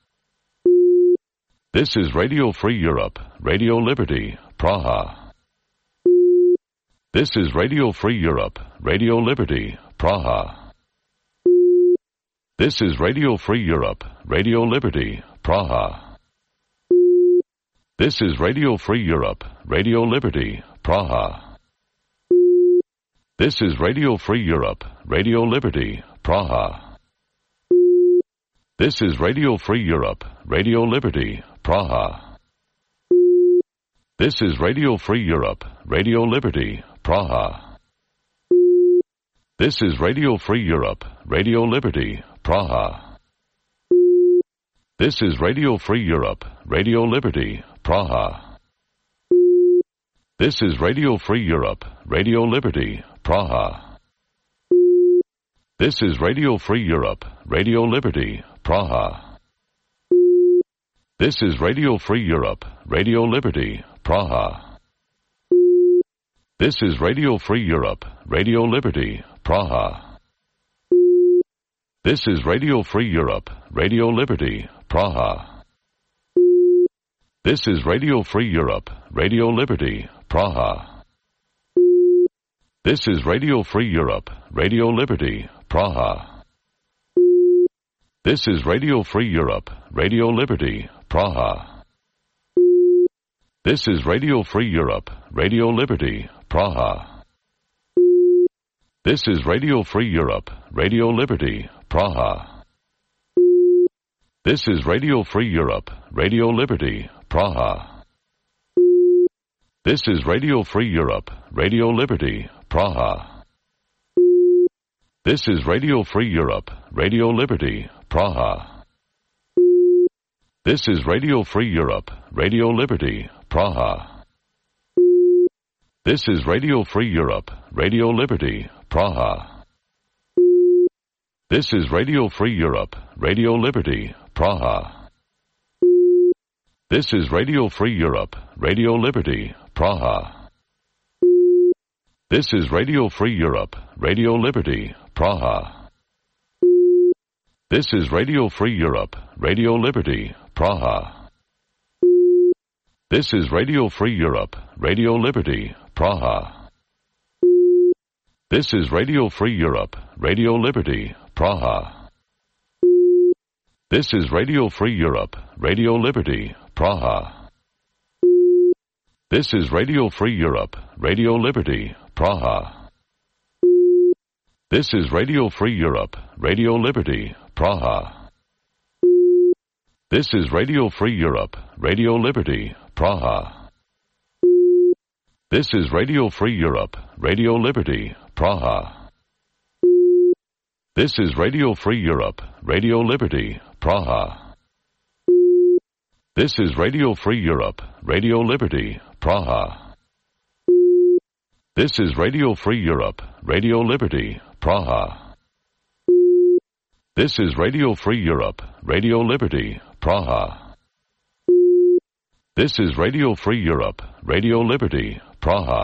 This is Radio Free Europe, Radio Liberty, Praha. This is Radio Free Europe, Radio Liberty, Praha. This is Radio Free Europe, Radio Liberty, Praha. This is Radio Free Europe, Radio Liberty, Praha. This is Radio Free Europe, Radio Liberty, Praha. This is Radio Free Europe, Radio Liberty, Praha. This is Radio Free Europe, Radio Liberty, Praha. This is Radio Free Europe, Radio Liberty, Praha. This is Radio Free Europe, Radio Liberty, Praha. This is Radio Free Europe, Radio Liberty, Praha. This is Radio Free Europe, Radio Liberty, Praha. This is Radio Free Europe, Radio Liberty, Praha. This is Radio Free Europe, Radio Liberty, Praha. This is Radio Free Europe, Radio Liberty, Praha. This is Radio Free Europe, Radio Liberty, Praha. This is Radio Free Europe, Radio Liberty, Praha. This is Radio Free Europe, Radio Liberty, Praha. This is Radio Free Europe, Radio Liberty, Praha. This is Radio Free Europe, Radio Liberty, Praha. This is Radio Free Europe, Radio Liberty, Praha. This is Radio Free Europe, Radio Liberty, Praha. This is Radio Free Europe, Radio Liberty, Praha. This is Radio Free Europe, Radio Liberty, Praha. This is Radio Free Europe, Radio Liberty, Praha. This is Radio Free Europe, Radio Liberty, Praha. This is Radio Free Europe, Radio Liberty, Praha. This is Radio Free Europe, Radio Liberty, Praha. This is Radio Free Europe, Radio Liberty, Praha. This is Radio Free Europe, Radio Liberty, Praha. This is Radio Free Europe, Radio Liberty, Praha. This is Radio Free Europe, Radio Liberty, Praha. This is Radio Free Europe, Radio Liberty, Praha. This is Radio Free Europe, Radio Liberty, Praha. This is Radio Free Europe, Radio Liberty, Praha. This is Radio Free Europe, Radio Liberty, Praha. This is Radio Free Europe, Radio Liberty, Praha. This is Radio Free Europe, Radio Liberty, Praha. This is Radio Free Europe, Radio Liberty, Praha. This is Radio Free Europe, Radio Liberty, Praha. This is Radio Free Europe, Radio Liberty, Praha.